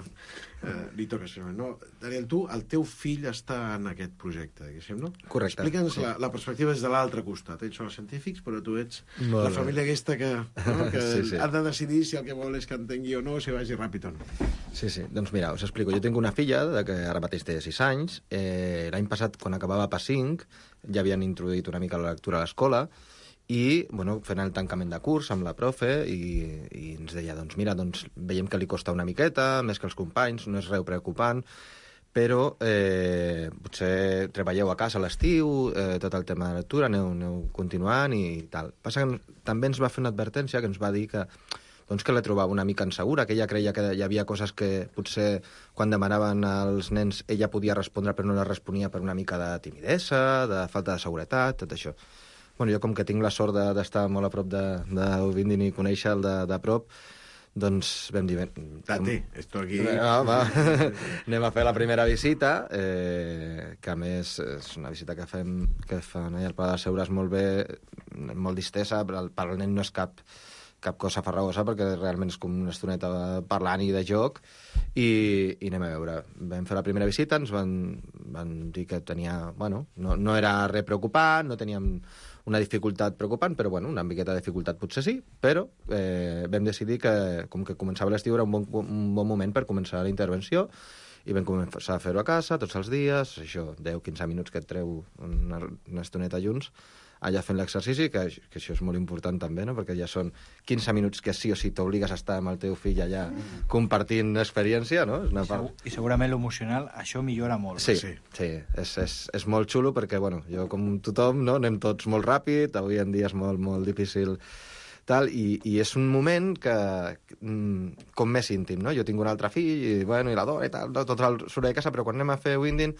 eh, li toca això. No? Daniel, tu, el teu fill està en aquest projecte, diguéssim, no? Correcte. Explica'ns sí. la, la perspectiva des de l'altre costat. Ells són els científics, però tu ets molt la bé. família aquesta que, no? que sí, sí. ha de decidir si el que vol és que entengui o no, si vagi ràpid o no. Sí, sí. Doncs mira, us explico. Jo tinc una filla de que ara mateix té sis anys. Eh, L'any passat, quan acabava P A cinc, ja havien introduït una mica la lectura a l'escola i, bueno, fent el tancament de curs amb la profe i, i ens deia, doncs mira, doncs veiem que li costa una miqueta, més que els companys, no és res preocupant, però eh, potser treballeu a casa a l'estiu, eh, tot el tema de lectura, aneu, aneu continuant i tal. Passa que també ens va fer una advertència que ens va dir que doncs que la trobava una mica insegura, que ella creia que hi havia coses que potser quan demanaven als nens ella podia respondre però no les responia per una mica de timidesa, de falta de seguretat, tot això. Bueno, jo com que tinc la sort d'estar molt a prop de, de Ubindin i conèixer-el de, de prop, doncs vam dir... Date, esto aquí... Ah, va. Anem a fer la primera visita, eh, que a més és una visita que fem que fan allà al Pla de Seures molt bé, molt distesa, per al, per al nen no és cap... cap cosa farragosa, perquè realment és com una estoneta parlant i de joc, i, i anem a veure. Vam fer la primera visita, ens van, van dir que tenia... Bueno, no, no era res preocupant, no teníem una dificultat preocupant, però bueno, una miqueta de dificultat potser sí, però eh, vam decidir que, com que començava l'estiu, era un bon, un bon moment per començar la intervenció, i vam començar a fer-ho a casa, tots els dies, això, deu quinze minuts que et treu una, una estoneta junts, allà fent l'exercici, que, que això és molt important també, no? Perquè ja són quinze minuts que sí o sí t'obligues a estar amb el teu fill allà compartint experiència, no? És una part... I segurament l'emocional, això millora molt. Sí, sí, sí. És, és, és molt xulo perquè, bueno, jo com tothom, no? Anem tots molt ràpid, avui en dia és molt, molt difícil tal, i, i és un moment que, com més íntim, no? Jo tinc un altre fill, i, bueno, i l'adoro i tal, no? Tot el surt de casa, però quan anem a fer Winding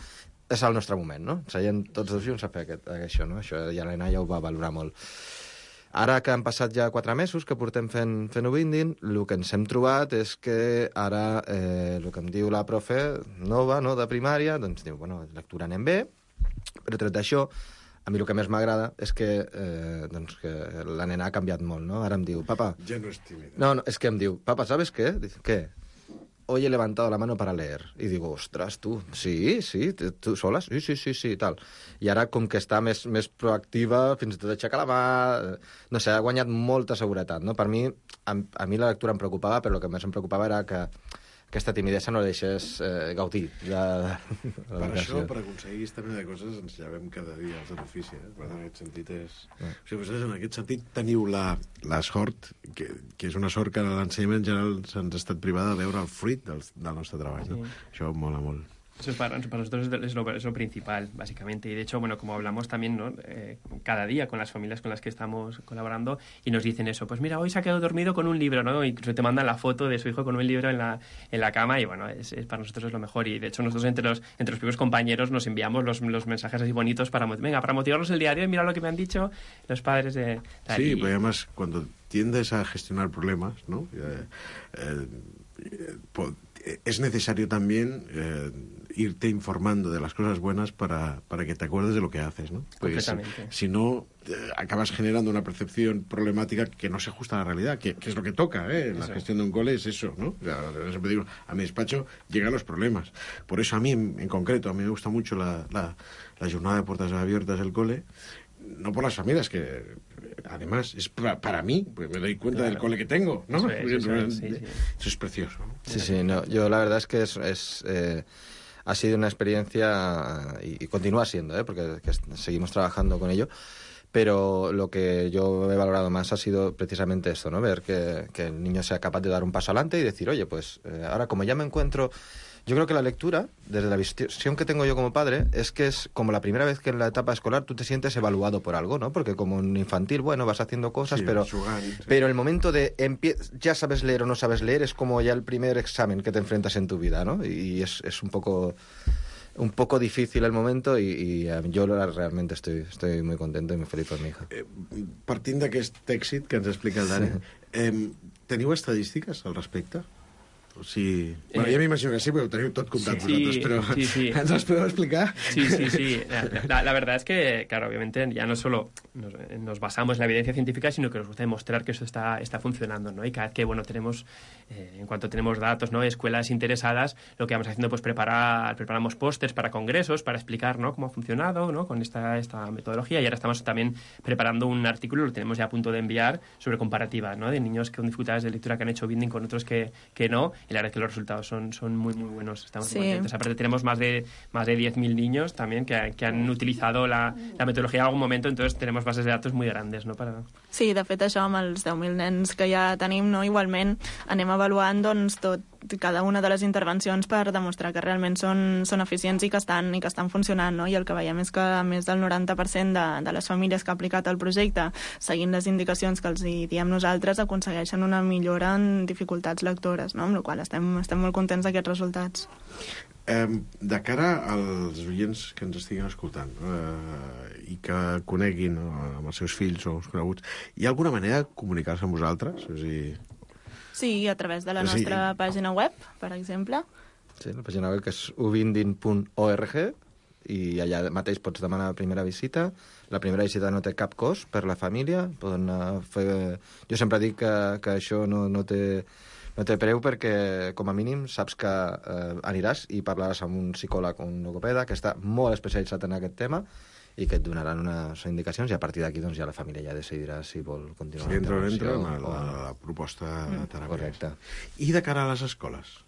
és el nostre moment, no? Seient tots dos junts a fer aquest, això, no? Això ja l'Helena ja ho va valorar molt. Ara que han passat ja quatre mesos que portem fent, fent Winding, el que ens hem trobat és que ara eh, el que em diu la profe nova, no?, de primària, doncs diu, bueno, lectura anem bé, però tret d'això, a mi el que més m'agrada és que, eh, doncs que la nena ha canviat molt, no? Ara em diu, papa... Ja no és tímida. No, no, és que em diu, papa, ¿sabes qué? Dice, ¿qué? Hoy he levantado la mano para leer. I digo, ostras, tu, sí, sí, tu sola? Sí, sí, sí, sí, tal. I ara, com que està més, més proactiva, fins i tot aixecar la mà... No sé, ha guanyat molta seguretat, no? Per mi, a, a mi la lectura em preocupava, però el que més em preocupava era que aquesta timidesa no la deixés eh, gaudir de, de, de per això, per aconseguir aquesta mena de coses, ens llevem cada dia als de l'ofici. Eh? Per tant, en aquest sentit és... Mm. O sigui, vosaltres, en aquest sentit, teniu la, la sort, que, que és una sort que a l'ensenyament general se'ns ha estat privada de veure el fruit del, del nostre treball. Sí. No? Això mola molt. Eso es para, para nosotros es lo, es lo principal, básicamente. Y de hecho, bueno, como hablamos también, ¿no? Eh, cada día con las familias con las que estamos colaborando y nos dicen eso, pues mira, hoy se ha quedado dormido con un libro, ¿no? Incluso te mandan la foto de su hijo con un libro en la, en la cama y bueno, es, es, para nosotros es lo mejor. Y de hecho nosotros entre los, entre los propios compañeros nos enviamos los, los mensajes así bonitos para, venga, para motivarnos el día de hoy, mira lo que me han dicho los padres de... Tal, sí, y... pero además cuando tiendes a gestionar problemas, ¿no? Eh, eh, eh, es necesario también... Eh, irte informando de las cosas buenas para, para que te acuerdes de lo que haces, ¿no? Porque si, si no, eh, acabas generando una percepción problemática que no se ajusta a la realidad, que, que es lo que toca, ¿eh? En la gestión de un cole es eso, ¿no? O sea, siempre digo, a mi despacho llegan los problemas. Por eso a mí, en, en concreto, a mí me gusta mucho la, la, la jornada de puertas abiertas del cole, no por las familias, que además es para, para mí, pues me doy cuenta claro. del cole que tengo, ¿no? Eso es, eso es, sí, sí. Eso es precioso, ¿no? Sí, sí, no, yo la verdad es que es... es eh... ha sido una experiencia, y, y continúa siendo, ¿eh? Porque que seguimos trabajando con ello, pero lo que yo he valorado más ha sido precisamente esto, ¿no? Ver que, que el niño sea capaz de dar un paso adelante y decir, oye, pues eh, ahora como ya me encuentro... Yo creo que la lectura, desde la visión que tengo yo como padre, es que es como la primera vez que en la etapa escolar tú te sientes evaluado por algo, ¿no? Porque como en infantil, bueno, vas haciendo cosas, Sí, pero, jugant, sí. pero el momento de empie- ya sabes leer o no sabes leer es como ya el primer examen que te enfrentas en tu vida, ¿no? Y es, es un poco... un poco difícil el momento i, i jo realment estoy, estoy muy contento i muy feliz per mi hija. Eh, partint d'aquest èxit que ens explica el Dani, eh, teniu estadístiques al respecte? O sigui, eh, bueno, ja m'imagino que sí, perquè ho teniu tot comptat sí, vosaltres, però sí, sí. ¿ens las podeu explicar? Sí, sí, sí. La, la verdad es que, claro, obviamente ya no solo nos, nos basamos en la evidencia científica, sino que nos gusta demostrar que eso está, está funcionando, ¿no? Y cada vez que, bueno, tenemos, eh, en cuanto tenemos datos, ¿no? Escuelas interesadas, lo que vamos haciendo, pues preparar, preparamos pósters para congresos, para explicar, ¿no? Cómo ha funcionado, ¿no? Con esta, esta metodología, y ahora estamos también preparando un artículo, lo tenemos ya a punto de enviar, sobre comparativas, ¿no? De niños con dificultades de lectura que han hecho binding con otros que, que no, y la verdad es que los resultados son, son muy, muy buenos. Estamos Sí. muy contentos. Aparte tenemos más de, más de diez mil niños también que, que han utilizado la, la metodología en algún momento, entonces tenemos bases de datos muy grandes, ¿no? Para... Sí, de fet, això amb els deu mil nens que ja tenim, no? Igualment anem avaluant doncs, tot, cada una de les intervencions per demostrar que realment són, són eficients i que estan, i que estan funcionant, no? I el que veiem és que més del noranta per cent de, de les famílies que ha aplicat el projecte, seguint les indicacions que els hi diem nosaltres, aconsegueixen una millora en dificultats lectores, no? Amb la qual cosa estem, estem molt contents d'aquests resultats. Eh, de cara als oients que ens estiguin escoltant eh, i que coneguin eh, amb els seus fills o els coneguts, hi ha alguna manera de comunicar-se amb vosaltres? És a dir... Sí, a través de la Sí. nostra pàgina web, per exemple. Sí, la pàgina web que és ubindin punt org i allà mateix pots demanar la primera visita. La primera visita no té cap cost per la família. Poden anar a fer... Jo sempre dic que, que això no, no té... No té preu perquè, com a mínim, saps que eh, aniràs i parlaràs amb un psicòleg o un logopeda que està molt especialitzat en aquest tema i que et donaran unes indicacions i a partir d'aquí doncs, ja la família ja decidirà si vol continuar. Si entra o no entra o, la, la, o... la proposta Mm. de teràpia. Correcte. I de cara a les escoles?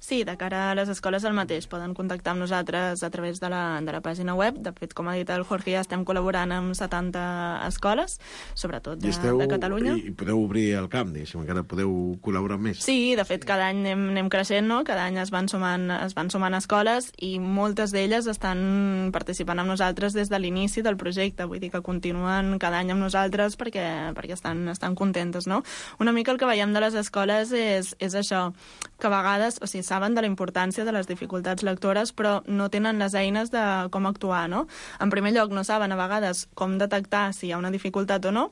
Sí, de cara a les escoles el mateix. Poden contactar amb nosaltres a través de la, de la pàgina web. De fet, com ha dit el Jorge, ja estem col·laborant amb setanta escoles, sobretot de, I, esteu, de Catalunya. I, I podeu obrir el camp, diguéssim, encara podeu col·laborar amb més. Sí, de fet, cada any anem, anem creixent, no? Cada any es van, sumant, es van sumant escoles i moltes d'elles estan participant amb nosaltres des de l'inici del projecte. Vull dir que continuen cada any amb nosaltres perquè, perquè estan, estan contentes, no? Una mica el que veiem de les escoles és, és això, que a vegades, o sigui, saben de la importància de les dificultats lectores, però no tenen les eines de com actuar, no? En primer lloc, no saben a vegades com detectar si hi ha una dificultat o no,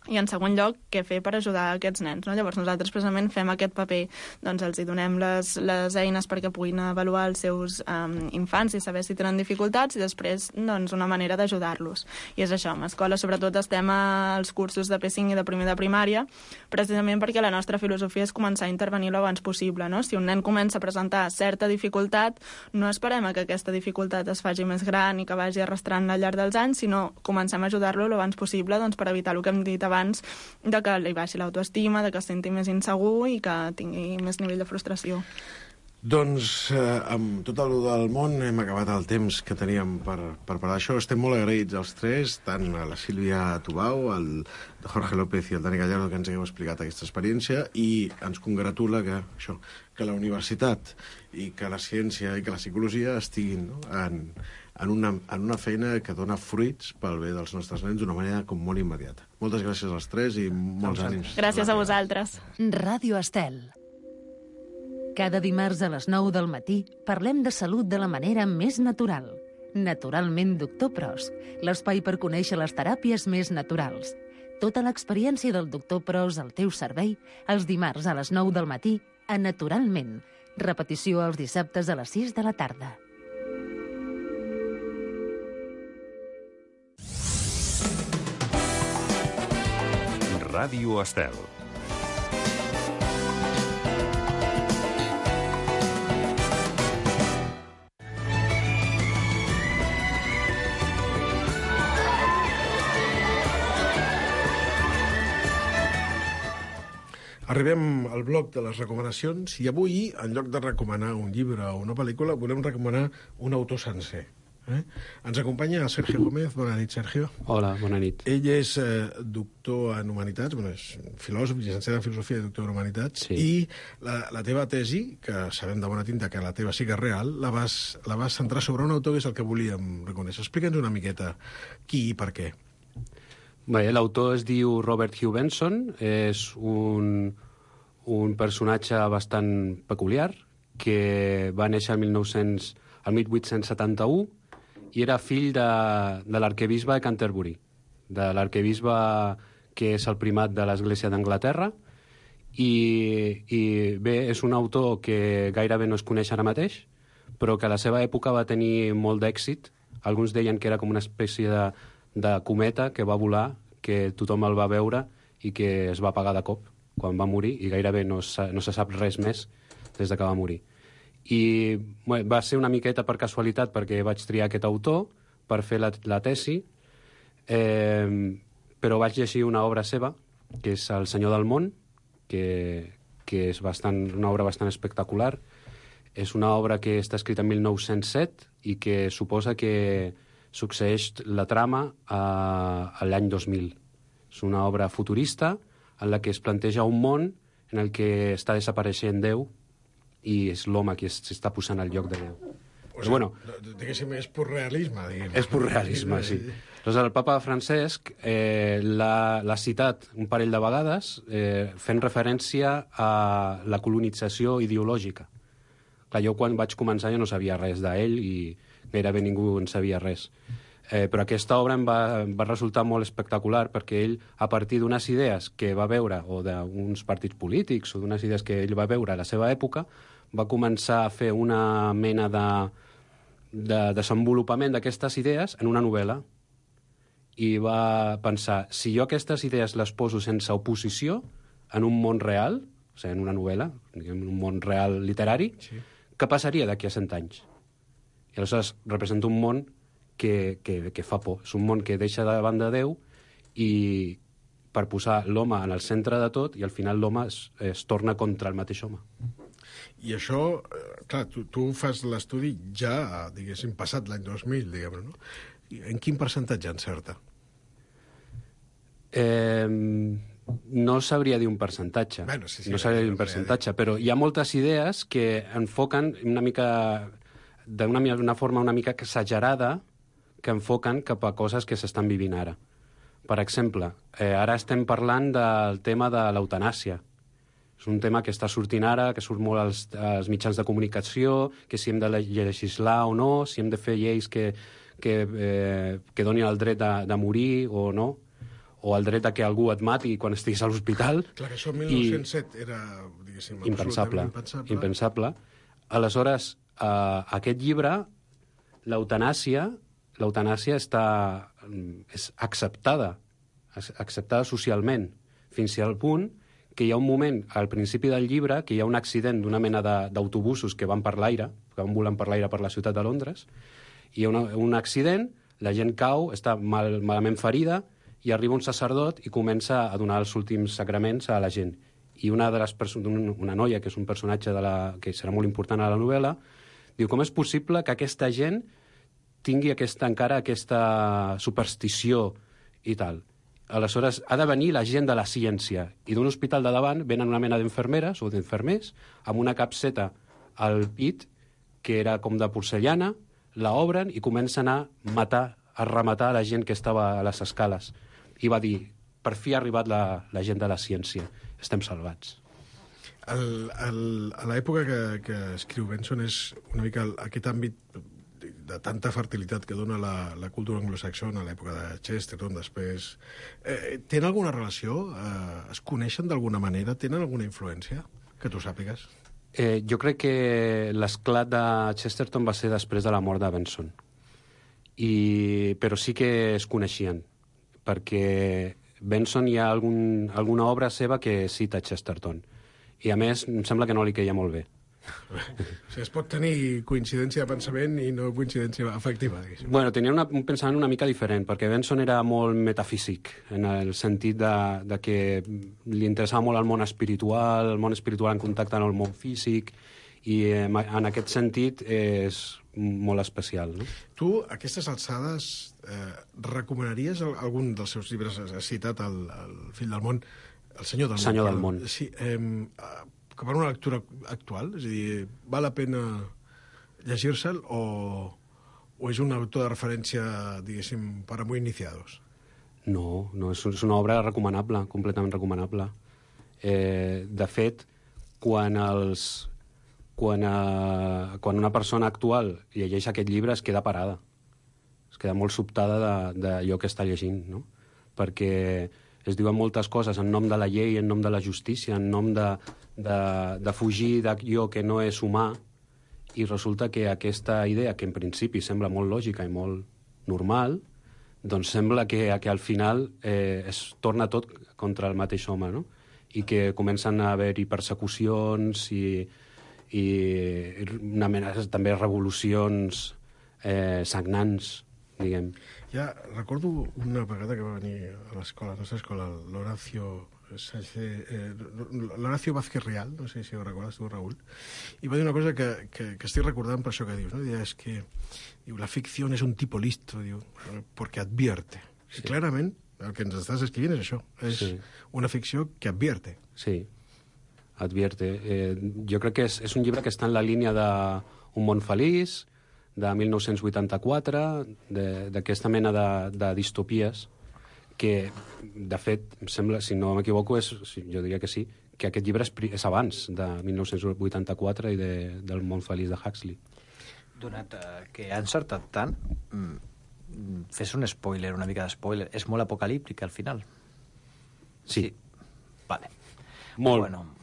i en segon lloc, què fer per ajudar aquests nens, no? Llavors nosaltres precisament fem aquest paper, doncs els hi donem les, les eines perquè puguin avaluar els seus um, infants i saber si tenen dificultats i després, doncs, una manera d'ajudar-los. I és això, amb escola sobretot estem als cursos de P cinc i de primer de primària, precisament perquè la nostra filosofia és començar a intervenir l'abans possible, no? Si un nen comença a presentar certa dificultat, no esperem a que aquesta dificultat es faci més gran i que vagi arrastrant al llarg dels anys, sinó comencem a ajudar-lo l'abans possible, doncs, per evitar el que hem dit abans, de que li baixi l'autoestima, de que es senti més insegur i que tingui més nivell de frustració. Doncs eh, amb tot el del món hem acabat el temps que teníem per, per parlar d'això. Estem molt agraïts els tres, tant a la Sílvia Tubau, el Jorge López i el Dani Gallardo, que ens hagueu explicat aquesta experiència, i ens congratula que, això, que la universitat i que la ciència i que la psicologia estiguin, no?, en, en, una, en una feina que dona fruits pel bé dels nostres nens d'una manera com molt immediata. Moltes gràcies als tres i molts ànims. Gràcies a vosaltres. Ràdio Estel. Cada dimarts a les nou del matí parlem de salut de la manera més natural. Naturalment Doctor Pros, l'espai per conèixer les teràpies més naturals. Tota l'experiència del Doctor Pros al teu servei els dimarts a les nou del matí a Naturalment. Repetició els dissabtes a les sis de la tarda. Ràdio Estel. Arribem al bloc de les recomanacions i avui, en lloc de recomanar un llibre o una pel·lícula, volem recomanar un autor sencer. Eh? Ens acompanya el Sergio Gómez. Bona nit, Sergio. Hola, bona nit. Ell és eh, doctor en Humanitats, bueno, és filòsof, llicenciat en Filosofia i doctor en Humanitats, sí. I la, la teva tesi, que sabem de bona tinta que la teva sí que és real, la vas, la vas centrar sobre un autor que és el que volíem reconèixer. Explica'ns una miqueta qui i per què. Bé, l'autor es diu Robert Hugh Benson, és un, un personatge bastant peculiar, que va néixer el, mil nou-cents, el mil vuit-cents setanta-u, i era fill de, de l'arquebisbe de Canterbury, de l'arquebisbe que és el primat de l'Església d'Anglaterra, i, i bé, és un autor que gairebé no es coneix ara mateix, però que a la seva època va tenir molt d'èxit. Alguns deien que era com una espècie de, de cometa que va volar, que tothom el va veure i que es va apagar de cop quan va morir, i gairebé no, se, no se sap res més des de que va morir. I bé, va ser una miqueta per casualitat perquè vaig triar aquest autor per fer la, la tesi, eh, però vaig llegir una obra seva, que és El senyor del món, que, que és bastant, una obra bastant espectacular. És una obra que està escrita en mil nou-cents set i que suposa que succeeix la trama a, a l'any dos mil. És una obra futurista en la que es planteja un món en el que està desapareixent Déu i és l'home qui s'està posant al lloc de Déu. O sigui, bueno, diguéssim, és pur realisme, diguem. És pur realisme, sí. Aleshores, el papa Francesc eh, l'ha citat un parell de vegades eh, fent referència a la colonització ideològica. Clar, jo quan vaig començar jo no sabia res d'ell i gairebé ningú en sabia res. Eh, però aquesta obra em va, va resultar molt espectacular perquè ell, a partir d'unes idees que va veure, o d'uns partits polítics, o d'unes idees que ell va veure a la seva època, va començar a fer una mena de, de desenvolupament d'aquestes idees en una novel·la. I va pensar, si jo aquestes idees les poso sense oposició en un món real, o sigui, en una novel·la, en un món real literari, sí. Què passaria d'aquí a cent anys? I aleshores representa un món Que, que, que fa por. És un món que deixa de banda Déu i per posar l'home en el centre de tot i al final l'home es, es torna contra el mateix home. I això, clar, tu, tu fas l'estudi ja, diguéssim, passat l'any dos mil, diguem-ne, no? En quin percentatge encerta? Eh, no sabria dir un percentatge. Bueno, sí, sí, no sabria dir un percentatge, però hi ha moltes idees que enfoquen una mica d'una forma una mica exagerada que enfoquen cap a coses que s'estan vivint ara. Per exemple, eh, ara estem parlant del tema de l'eutanàsia. És un tema que està sortint ara, que surt molt als, als mitjans de comunicació, que si hem de legislar o no, si hem de fer lleis que, que, eh, que donin el dret de, de morir o no, o el dret a que algú et mati quan estiguis a l'hospital. Clar, que això el mil nou-cents set I era, diguéssim, impensable, impensable. impensable. Aleshores, eh, aquest llibre, l'eutanàsia, l'eutanàsia està, és acceptada, acceptada socialment, fins al punt que hi ha un moment, al principi del llibre, que hi ha un accident d'una mena d'autobusos que van per l'aire, que van volant per l'aire per la ciutat de Londres, hi ha una, un accident, la gent cau, està mal, malament ferida, i arriba un sacerdot i comença a donar els últims sacraments a la gent. I una de les persones, una noia, que és un personatge de la, que serà molt important a la novel·la, diu, com és possible que aquesta gent tingui aquesta, encara aquesta superstició i tal. Aleshores, ha de venir la gent de la ciència i d'un hospital de davant venen una mena d'enfermeres o d'enfermers amb una capseta al pit que era com de porcellana, la obren i comencen a matar, a rematar la gent que estava a les escales. I va dir, per fi ha arribat la, la gent de la ciència, estem salvats. El, el, a l'època que, que escriu Benson és una mica el, aquest àmbit de tanta fertilitat que dona la, la cultura anglosaxona a l'època de Chesterton, després. Eh, tenen alguna relació? Eh, es coneixen d'alguna manera? Tenen alguna influència que tu sàpigues? Eh, jo crec que l'esclat de Chesterton va ser després de la mort de Benson. I, però sí que es coneixien, perquè Benson hi ha algun, alguna obra seva que cita Chesterton. I, a més, em sembla que no li queia molt bé. O sigui, es pot tenir coincidència de pensament i no coincidència afectiva, diguéssim. Bueno, tenia una, un pensament una mica diferent, perquè Benson era molt metafísic, en el sentit de, de que li interessava molt el món espiritual, el món espiritual en contacte amb el món físic, i eh, en aquest sentit és molt especial. No? Tu, a aquestes alçades, eh, recomanaries algun dels seus llibres? Has citat el, el fill del món, el senyor del senyor món. Del món. Sí, eh, com a una lectura actual? És a dir, val la pena llegir-se'l o, o és un autor de referència, diguéssim, per a muy iniciados? No, no, és, és una obra recomanable, completament recomanable. Eh, de fet, quan, els, quan, eh, quan una persona actual llegeix aquest llibre es queda parada. Es queda molt sobtada d'allò que està llegint, no? Perquè es diuen moltes coses en nom de la llei, en nom de la justícia, en nom de, de, de fugir d'allò que no és humà, i resulta que aquesta idea, que en principi sembla molt lògica i molt normal, doncs sembla que, que al final eh, es torna tot contra el mateix home, no? I que comencen a haver-hi persecucions i, i una mena, també revolucions eh, sagnants, diguem. Ja recordo una vegada que va venir a l'escola, a la nostra escola, l'Horacio eh, l'Horacio Vázquez Real, no sé si ho recordes tu, Raül, i va dir una cosa que, que, que estic recordant per això que dius, no? Diu, és que diu, la ficció és un tipo listo, diu, porque advierte. Sí. I clarament el que ens estàs escrivint és això, és sí. Una ficció que advierte. Sí, advierte. Eh, jo crec que és, és un llibre que està en la línia de Un món feliç, de mil nou-cents vuitanta-quatre, d'aquesta mena de, de distopies, que, de fet, em sembla, si no m'equivoco, és, jo diria que sí, que aquest llibre és, és abans de mil nou-cents vuitanta-quatre i de, del món feliç de Huxley. Donat eh, que ha encertat tant, mm, fes un spoiler, una mica de spoiler. És molt apocalíptic, al final? Sí. sí. Vale. Molt. Bueno,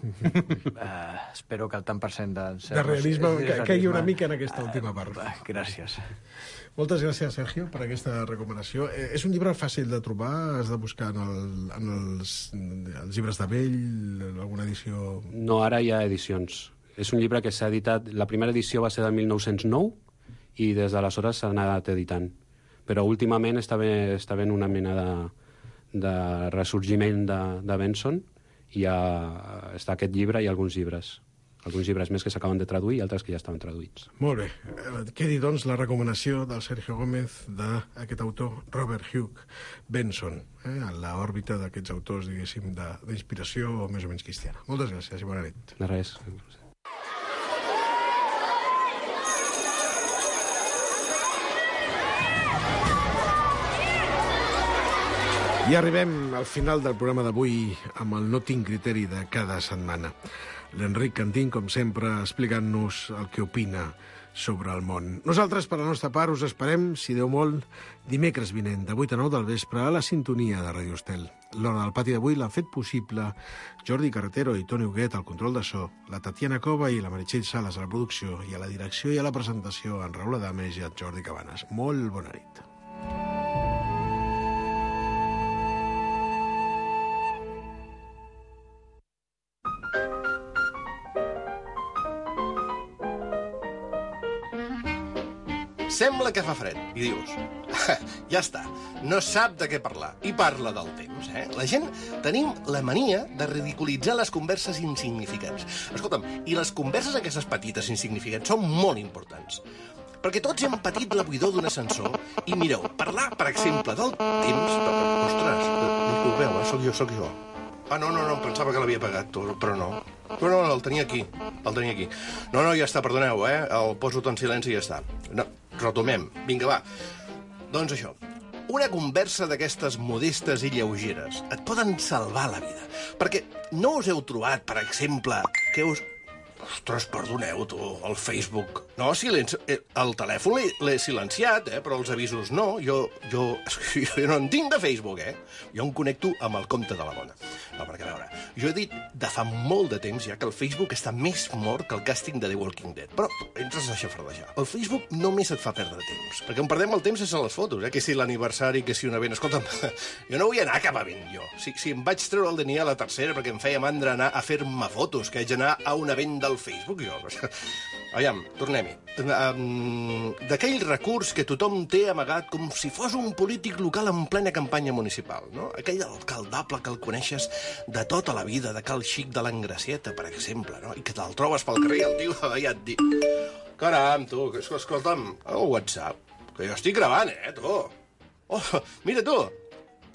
eh, espero que el tant per cent de... De realisme que caigui una mica en aquesta última part. Eh, gràcies. Moltes gràcies, Sergio, per aquesta recomanació. Eh, és un llibre fàcil de trobar? Has de buscar en, el, en els, els llibres de vell, alguna edició... No, ara hi ha edicions. És un llibre que s'ha editat... La primera edició va ser del mil nou-cents nou i des d'aleshores s'ha anat editant. Però últimament està bé, està ben una mena de, de ressorgiment de, de Benson. Hi ha, està aquest llibre i alguns llibres. Alguns llibres més que s'acaben de traduir i altres que ja estaven traduïts. Molt bé. Quedi, doncs, la recomanació del Sergio Gómez d'aquest autor, Robert Hugh Benson, eh, en l'òrbita d'aquests autors, diguéssim, d'inspiració més o menys cristiana. Moltes gràcies i bona nit. De res. I arribem al final del programa d'avui amb el No tinc criteri de cada setmana. L'Enric Cantín, com sempre, explicant-nos el que opina sobre el món. Nosaltres, per la nostra part, us esperem, si Déu vol, dimecres vinent, de vuit a nou del vespre, a la sintonia de Radio Estel. L'Hora del Pati d'avui l'han fet possible Jordi Carretero i Toni Huguet al control de so, la Tatiana Cova i la Meritxell Sales a la producció, i a la direcció i a la presentació en Raül Adames i en Jordi Cabanes. Molt bona nit. Sembla que fa fred, i dius, ja està, no sap de què parlar, i parla del temps, eh? La gent tenim la mania de ridiculitzar les converses insignificants. Escolta'm, i les converses aquestes petites insignificants són molt importants, perquè tots hem patit la buidor d'un ascensor, i mireu, parlar, per exemple, del temps... Ostres, ho veu, eh? Soc jo, soc jo. Ah, no, no, no, pensava que l'havia pagat, però no. Però no, el tenia aquí, el tenia aquí. No, no, ja està, perdoneu, eh? El poso tot en silenci i ja està. No, retomem. Vinga, va. Doncs això, una conversa d'aquestes modestes i lleugeres et poden salvar la vida. Perquè no us heu trobat, per exemple, que us... Ostres, perdoneu, tu, el Facebook. No, silenci... el telèfon l'he silenciat, eh? Però els avisos no. Jo, jo, jo no en tinc de Facebook, eh? Jo em connecto amb el compte de la dona. No, perquè, a veure, jo he dit de fa molt de temps ja que el Facebook està més mort que el càsting de The Walking Dead. Però entres a xafardejar. El Facebook només et fa perdre temps. Perquè on perdem el temps és a les fotos, eh? Que si l'aniversari, que si un event... Escolta'm, jo no vull anar a cap event, jo. Si, si em vaig treure el D N I a la tercera perquè em feia mandra anar a fer-me fotos, que haig d'anar a un event del Facebook, jo. Aviam, tornem-hi. Um, D'aquell recurs que tothom té amagat com si fos un polític local en plena campanya municipal, no? Aquell alcaldable que el coneixes de tota la vida, de Cal Xic de l'Engracieta, per exemple, no? I que te'l trobes pel carrer i el tio ja et diu... Caram, tu, escolta'm, el WhatsApp, que jo estic gravant, eh, tu. Oh, mira, tu,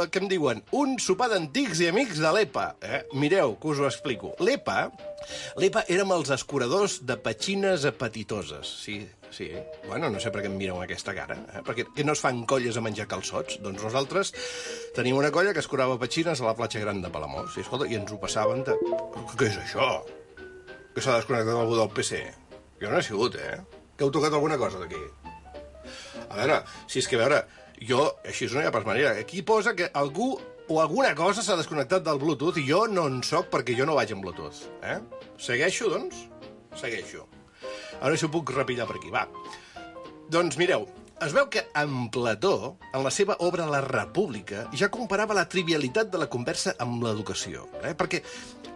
que em diuen un sopar d'antics i amics de l'E P A. Eh? Mireu, que us ho explico. L'E P A, l'E P A érem els escuradors de petxines apetitoses. Sí, sí. Bueno, no sé per què em mireu amb aquesta cara. Eh? Perquè que no es fan colles a menjar calçots? Doncs nosaltres tenim una colla que escurava petxines a la platja gran de Palamós. I, escolta, i ens ho passaven de... Què és això? Que s'ha desconnectat algú del P C? Jo no he sigut, eh? Que heu tocat alguna cosa d'aquí? A veure, si és que, a veure... Jo, així no hi ha pas manera. Aquí posa que algú o alguna cosa s'ha desconnectat del Bluetooth i jo no en soc perquè jo no vaig amb Bluetooth. Eh? Segueixo, doncs? Segueixo. Ara si ho puc repillar per aquí, va. Doncs mireu, es veu que en Plató, en la seva obra La República, ja comparava la trivialitat de la conversa amb l'educació. Eh? Perquè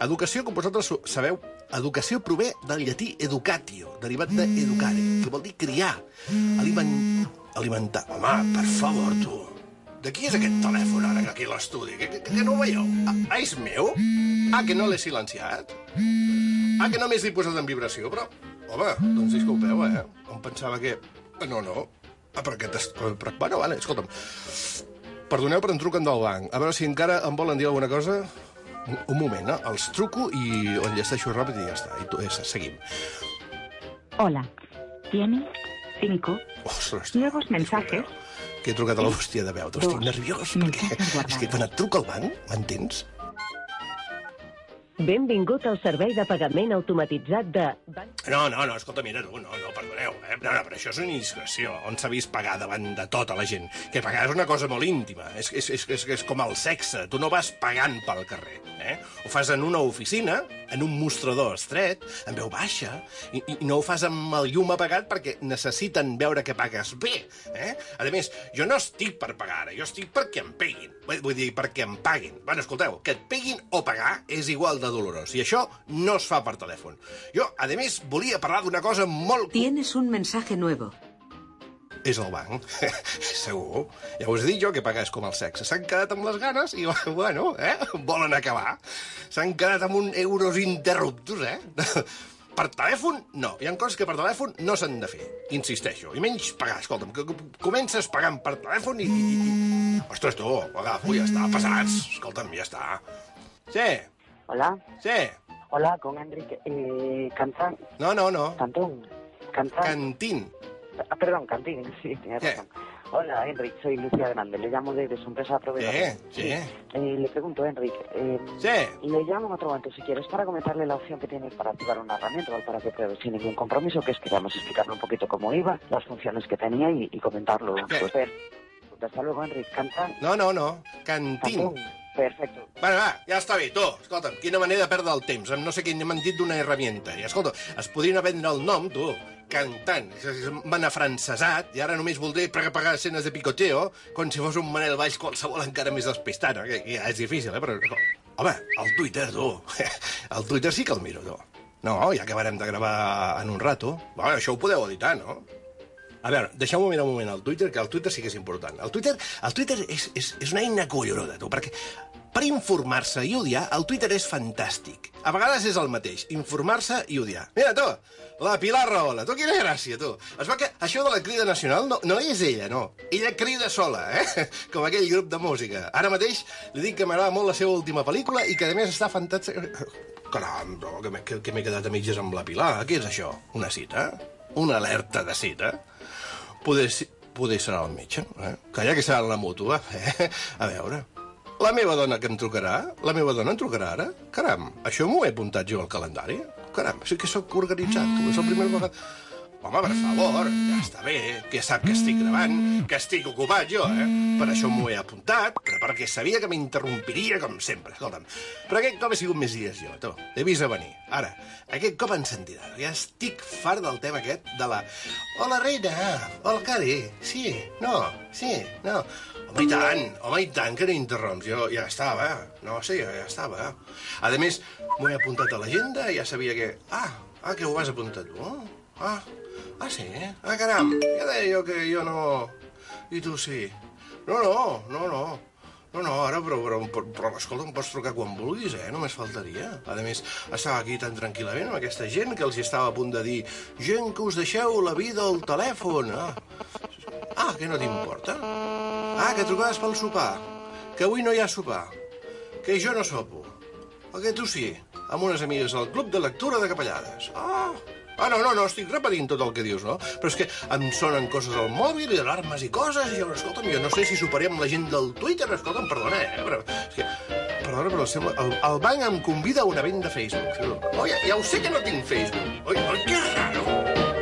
educació, com vosaltres sabeu, educació prové del llatí educatio, derivat de educare, que vol dir criar, aliment... alimentar. Home, per favor, tu. De qui és aquest telèfon ara, aquí a l'estudi? Que, que, que no ho veieu? Ah, ah, és meu? Ah, que no l'he silenciat? Ah, que només l'he posat en vibració? Però, home, doncs disculpeu, eh? Em pensava que... No, no. Ah, però aquest... Però, bueno, vale, escolta'm. Perdoneu, però em truquen del banc. A veure si encara em volen dir alguna cosa. Un, un moment, eh? Els truco i ho enllesteixo ràpid i ja està. I tu, ja està, seguim. Hola. ¿Tiene cinco Ostres, nuevos mensajes? Que he trucat a la bústia de veu. Estic nerviós, perquè és que quan et truco al banc, m'entens? Benvingut al servei de pagament automatitzat de... No, no, no, escolta, mira, tu, no, no, perdoneu, eh? No, no, però això és una indiscreció. On s'ha vist pagar davant de tota la gent? Que pagar és una cosa molt íntima, és, és, és, és, és com el sexe, tu no vas pagant pel carrer, eh? Ho fas en una oficina, en un mostrador estret, en veu baixa, i, i no ho fas amb el llum apagat perquè necessiten veure que pagues bé, eh? A més, jo no estic per pagar ara, jo estic perquè em peguin, vull dir, perquè em paguin. Bueno, escolteu, que et peguin o pagar és igual de dolorós, i això no es fa per telèfon. Jo, a més, volia parlar d'una cosa molt... Tienes un mensaje nuevo. És el banc, segur. Ja us he dit jo que pagar és com el sexe. S'han quedat amb les ganes i, bueno, eh, volen acabar. S'han quedat amb un euros interruptus, eh? Per telèfon, no. Hi ha coses que per telèfon no s'han de fer, insisteixo. I menys pagar, escolta'm, que comences pagant per telèfon i... i, i... Ostres, tu, agafo, ja està, passats. Escolta'm, ja està. Sí. Hola. Sí. Hola, con Enrique. Eh, Cantán. No, no, no. Cantón. Cantán. Cantín. Ah, perdón, Cantín, sí, tienes ¿Qué? razón. Hola, Enrique, soy Lucia Grande, le llamo de, de su empresa proveedora. Sí, sí. Eh, le pregunto, Enrique, eh, sí. le llamo en otro momento, si quieres, para comentarle la opción que tiene para activar una herramienta, ¿vale? Para que pruebe sin ningún compromiso, que es que vamos a explicarle un poquito cómo iba, las funciones que tenía y, y comentarlo. Pues, ver. Hasta luego, Enrique. Cantán. No, no, no. Cantín. Cantón. Perfecto. Bueno, va, ja està bé, tu. Escolta'm, quina manera de perdre el temps. Amb no sé què m'han dit d'una herramienta. I, escolta, es podrien vendre el nom, tu, Cantant. M'han afrancesat i ara només voldré pagar escenes de picoteo com si fos un Manel Valls qualsevol encara més despistant. Que, que ja és difícil, eh? Però, home, el Twitter, tu. El Twitter sí que el miro, tu. No, ja acabarem de gravar en un rato. Bueno, això ho podeu editar, no? A veure, deixeu-me mirar un moment al Twitter, que el Twitter sí que és important. El Twitter, el Twitter és, és, és una eina collonuda, tu, perquè per informar-se i odiar, el Twitter és fantàstic. A vegades és el mateix, informar-se i odiar. Mira, tu, la Pilar Rahola, tu, quina gràcia, tu. Es va que això de la crida nacional no, no és ella, no. Ella crida sola, eh? Com aquell grup de música. Ara mateix li dic que m'agrada molt la seva última pel·lícula i que, a més, està fantàstica. Caram, no, que m'he que, que quedat a mitges amb la Pilar. Què és això? Una cita? Una alerta de cita? Poder, poder serà el metge, eh? Calla que serà la mútua, eh? A veure, la meva dona que em trucarà? La meva dona em trucarà ara? Caram, això m'ho he apuntat jo al calendari? Caram, sí que sóc organitzat, tu, és el primer vegada... Home, per favor, ja està bé, que sap que estic gravant, que estic ocupat jo, eh? Per això m'ho he apuntat, però perquè sabia que m'interrompiria com sempre, escolta'm. Però aquest cop he sigut més dies jo, tu, he vist a venir. Ara, aquest cop em sentirà, ja estic fart del tema aquest de la... Hola, reina, hola, Cari, sí, no, sí, no... Home, i tant, home, i tant que no interromps, jo ja estava, no, sí, ja estava. A més, m'ho he apuntat a l'agenda i ja sabia que... Ah, ah, que ho has apuntat tu, ah... Ah, sí? Ah, caram, ja deia jo que jo no... I tu sí. No, no, no, no. No, no, ara, però, però, però, però escolta, em pots trucar quan vulguis, eh? Només faltaria. A més, estava aquí tan tranquil·lament amb aquesta gent que els estava a punt de dir gent que us deixeu la vida al telèfon. Ah, ah que no t'importa? Ah, que trucaves pel sopar. Que avui no hi ha sopar. Que jo no sopo. O que tu sí, amb unes amigues al club de lectura de Capellades. Ah... Ah, no, no, no, estic repetint tot el que dius, no? Però és que em sonen coses al mòbil i alarmes i coses, i jo, escolta'm, jo no sé si soparé amb la gent del Twitter, escolta'm, perdona, eh? Però, és que, perdona, però sembla, el, el banc em convida a un event de Facebook. Oh, ja, ja ho sé que no tinc Facebook. Oi, oi, que raro.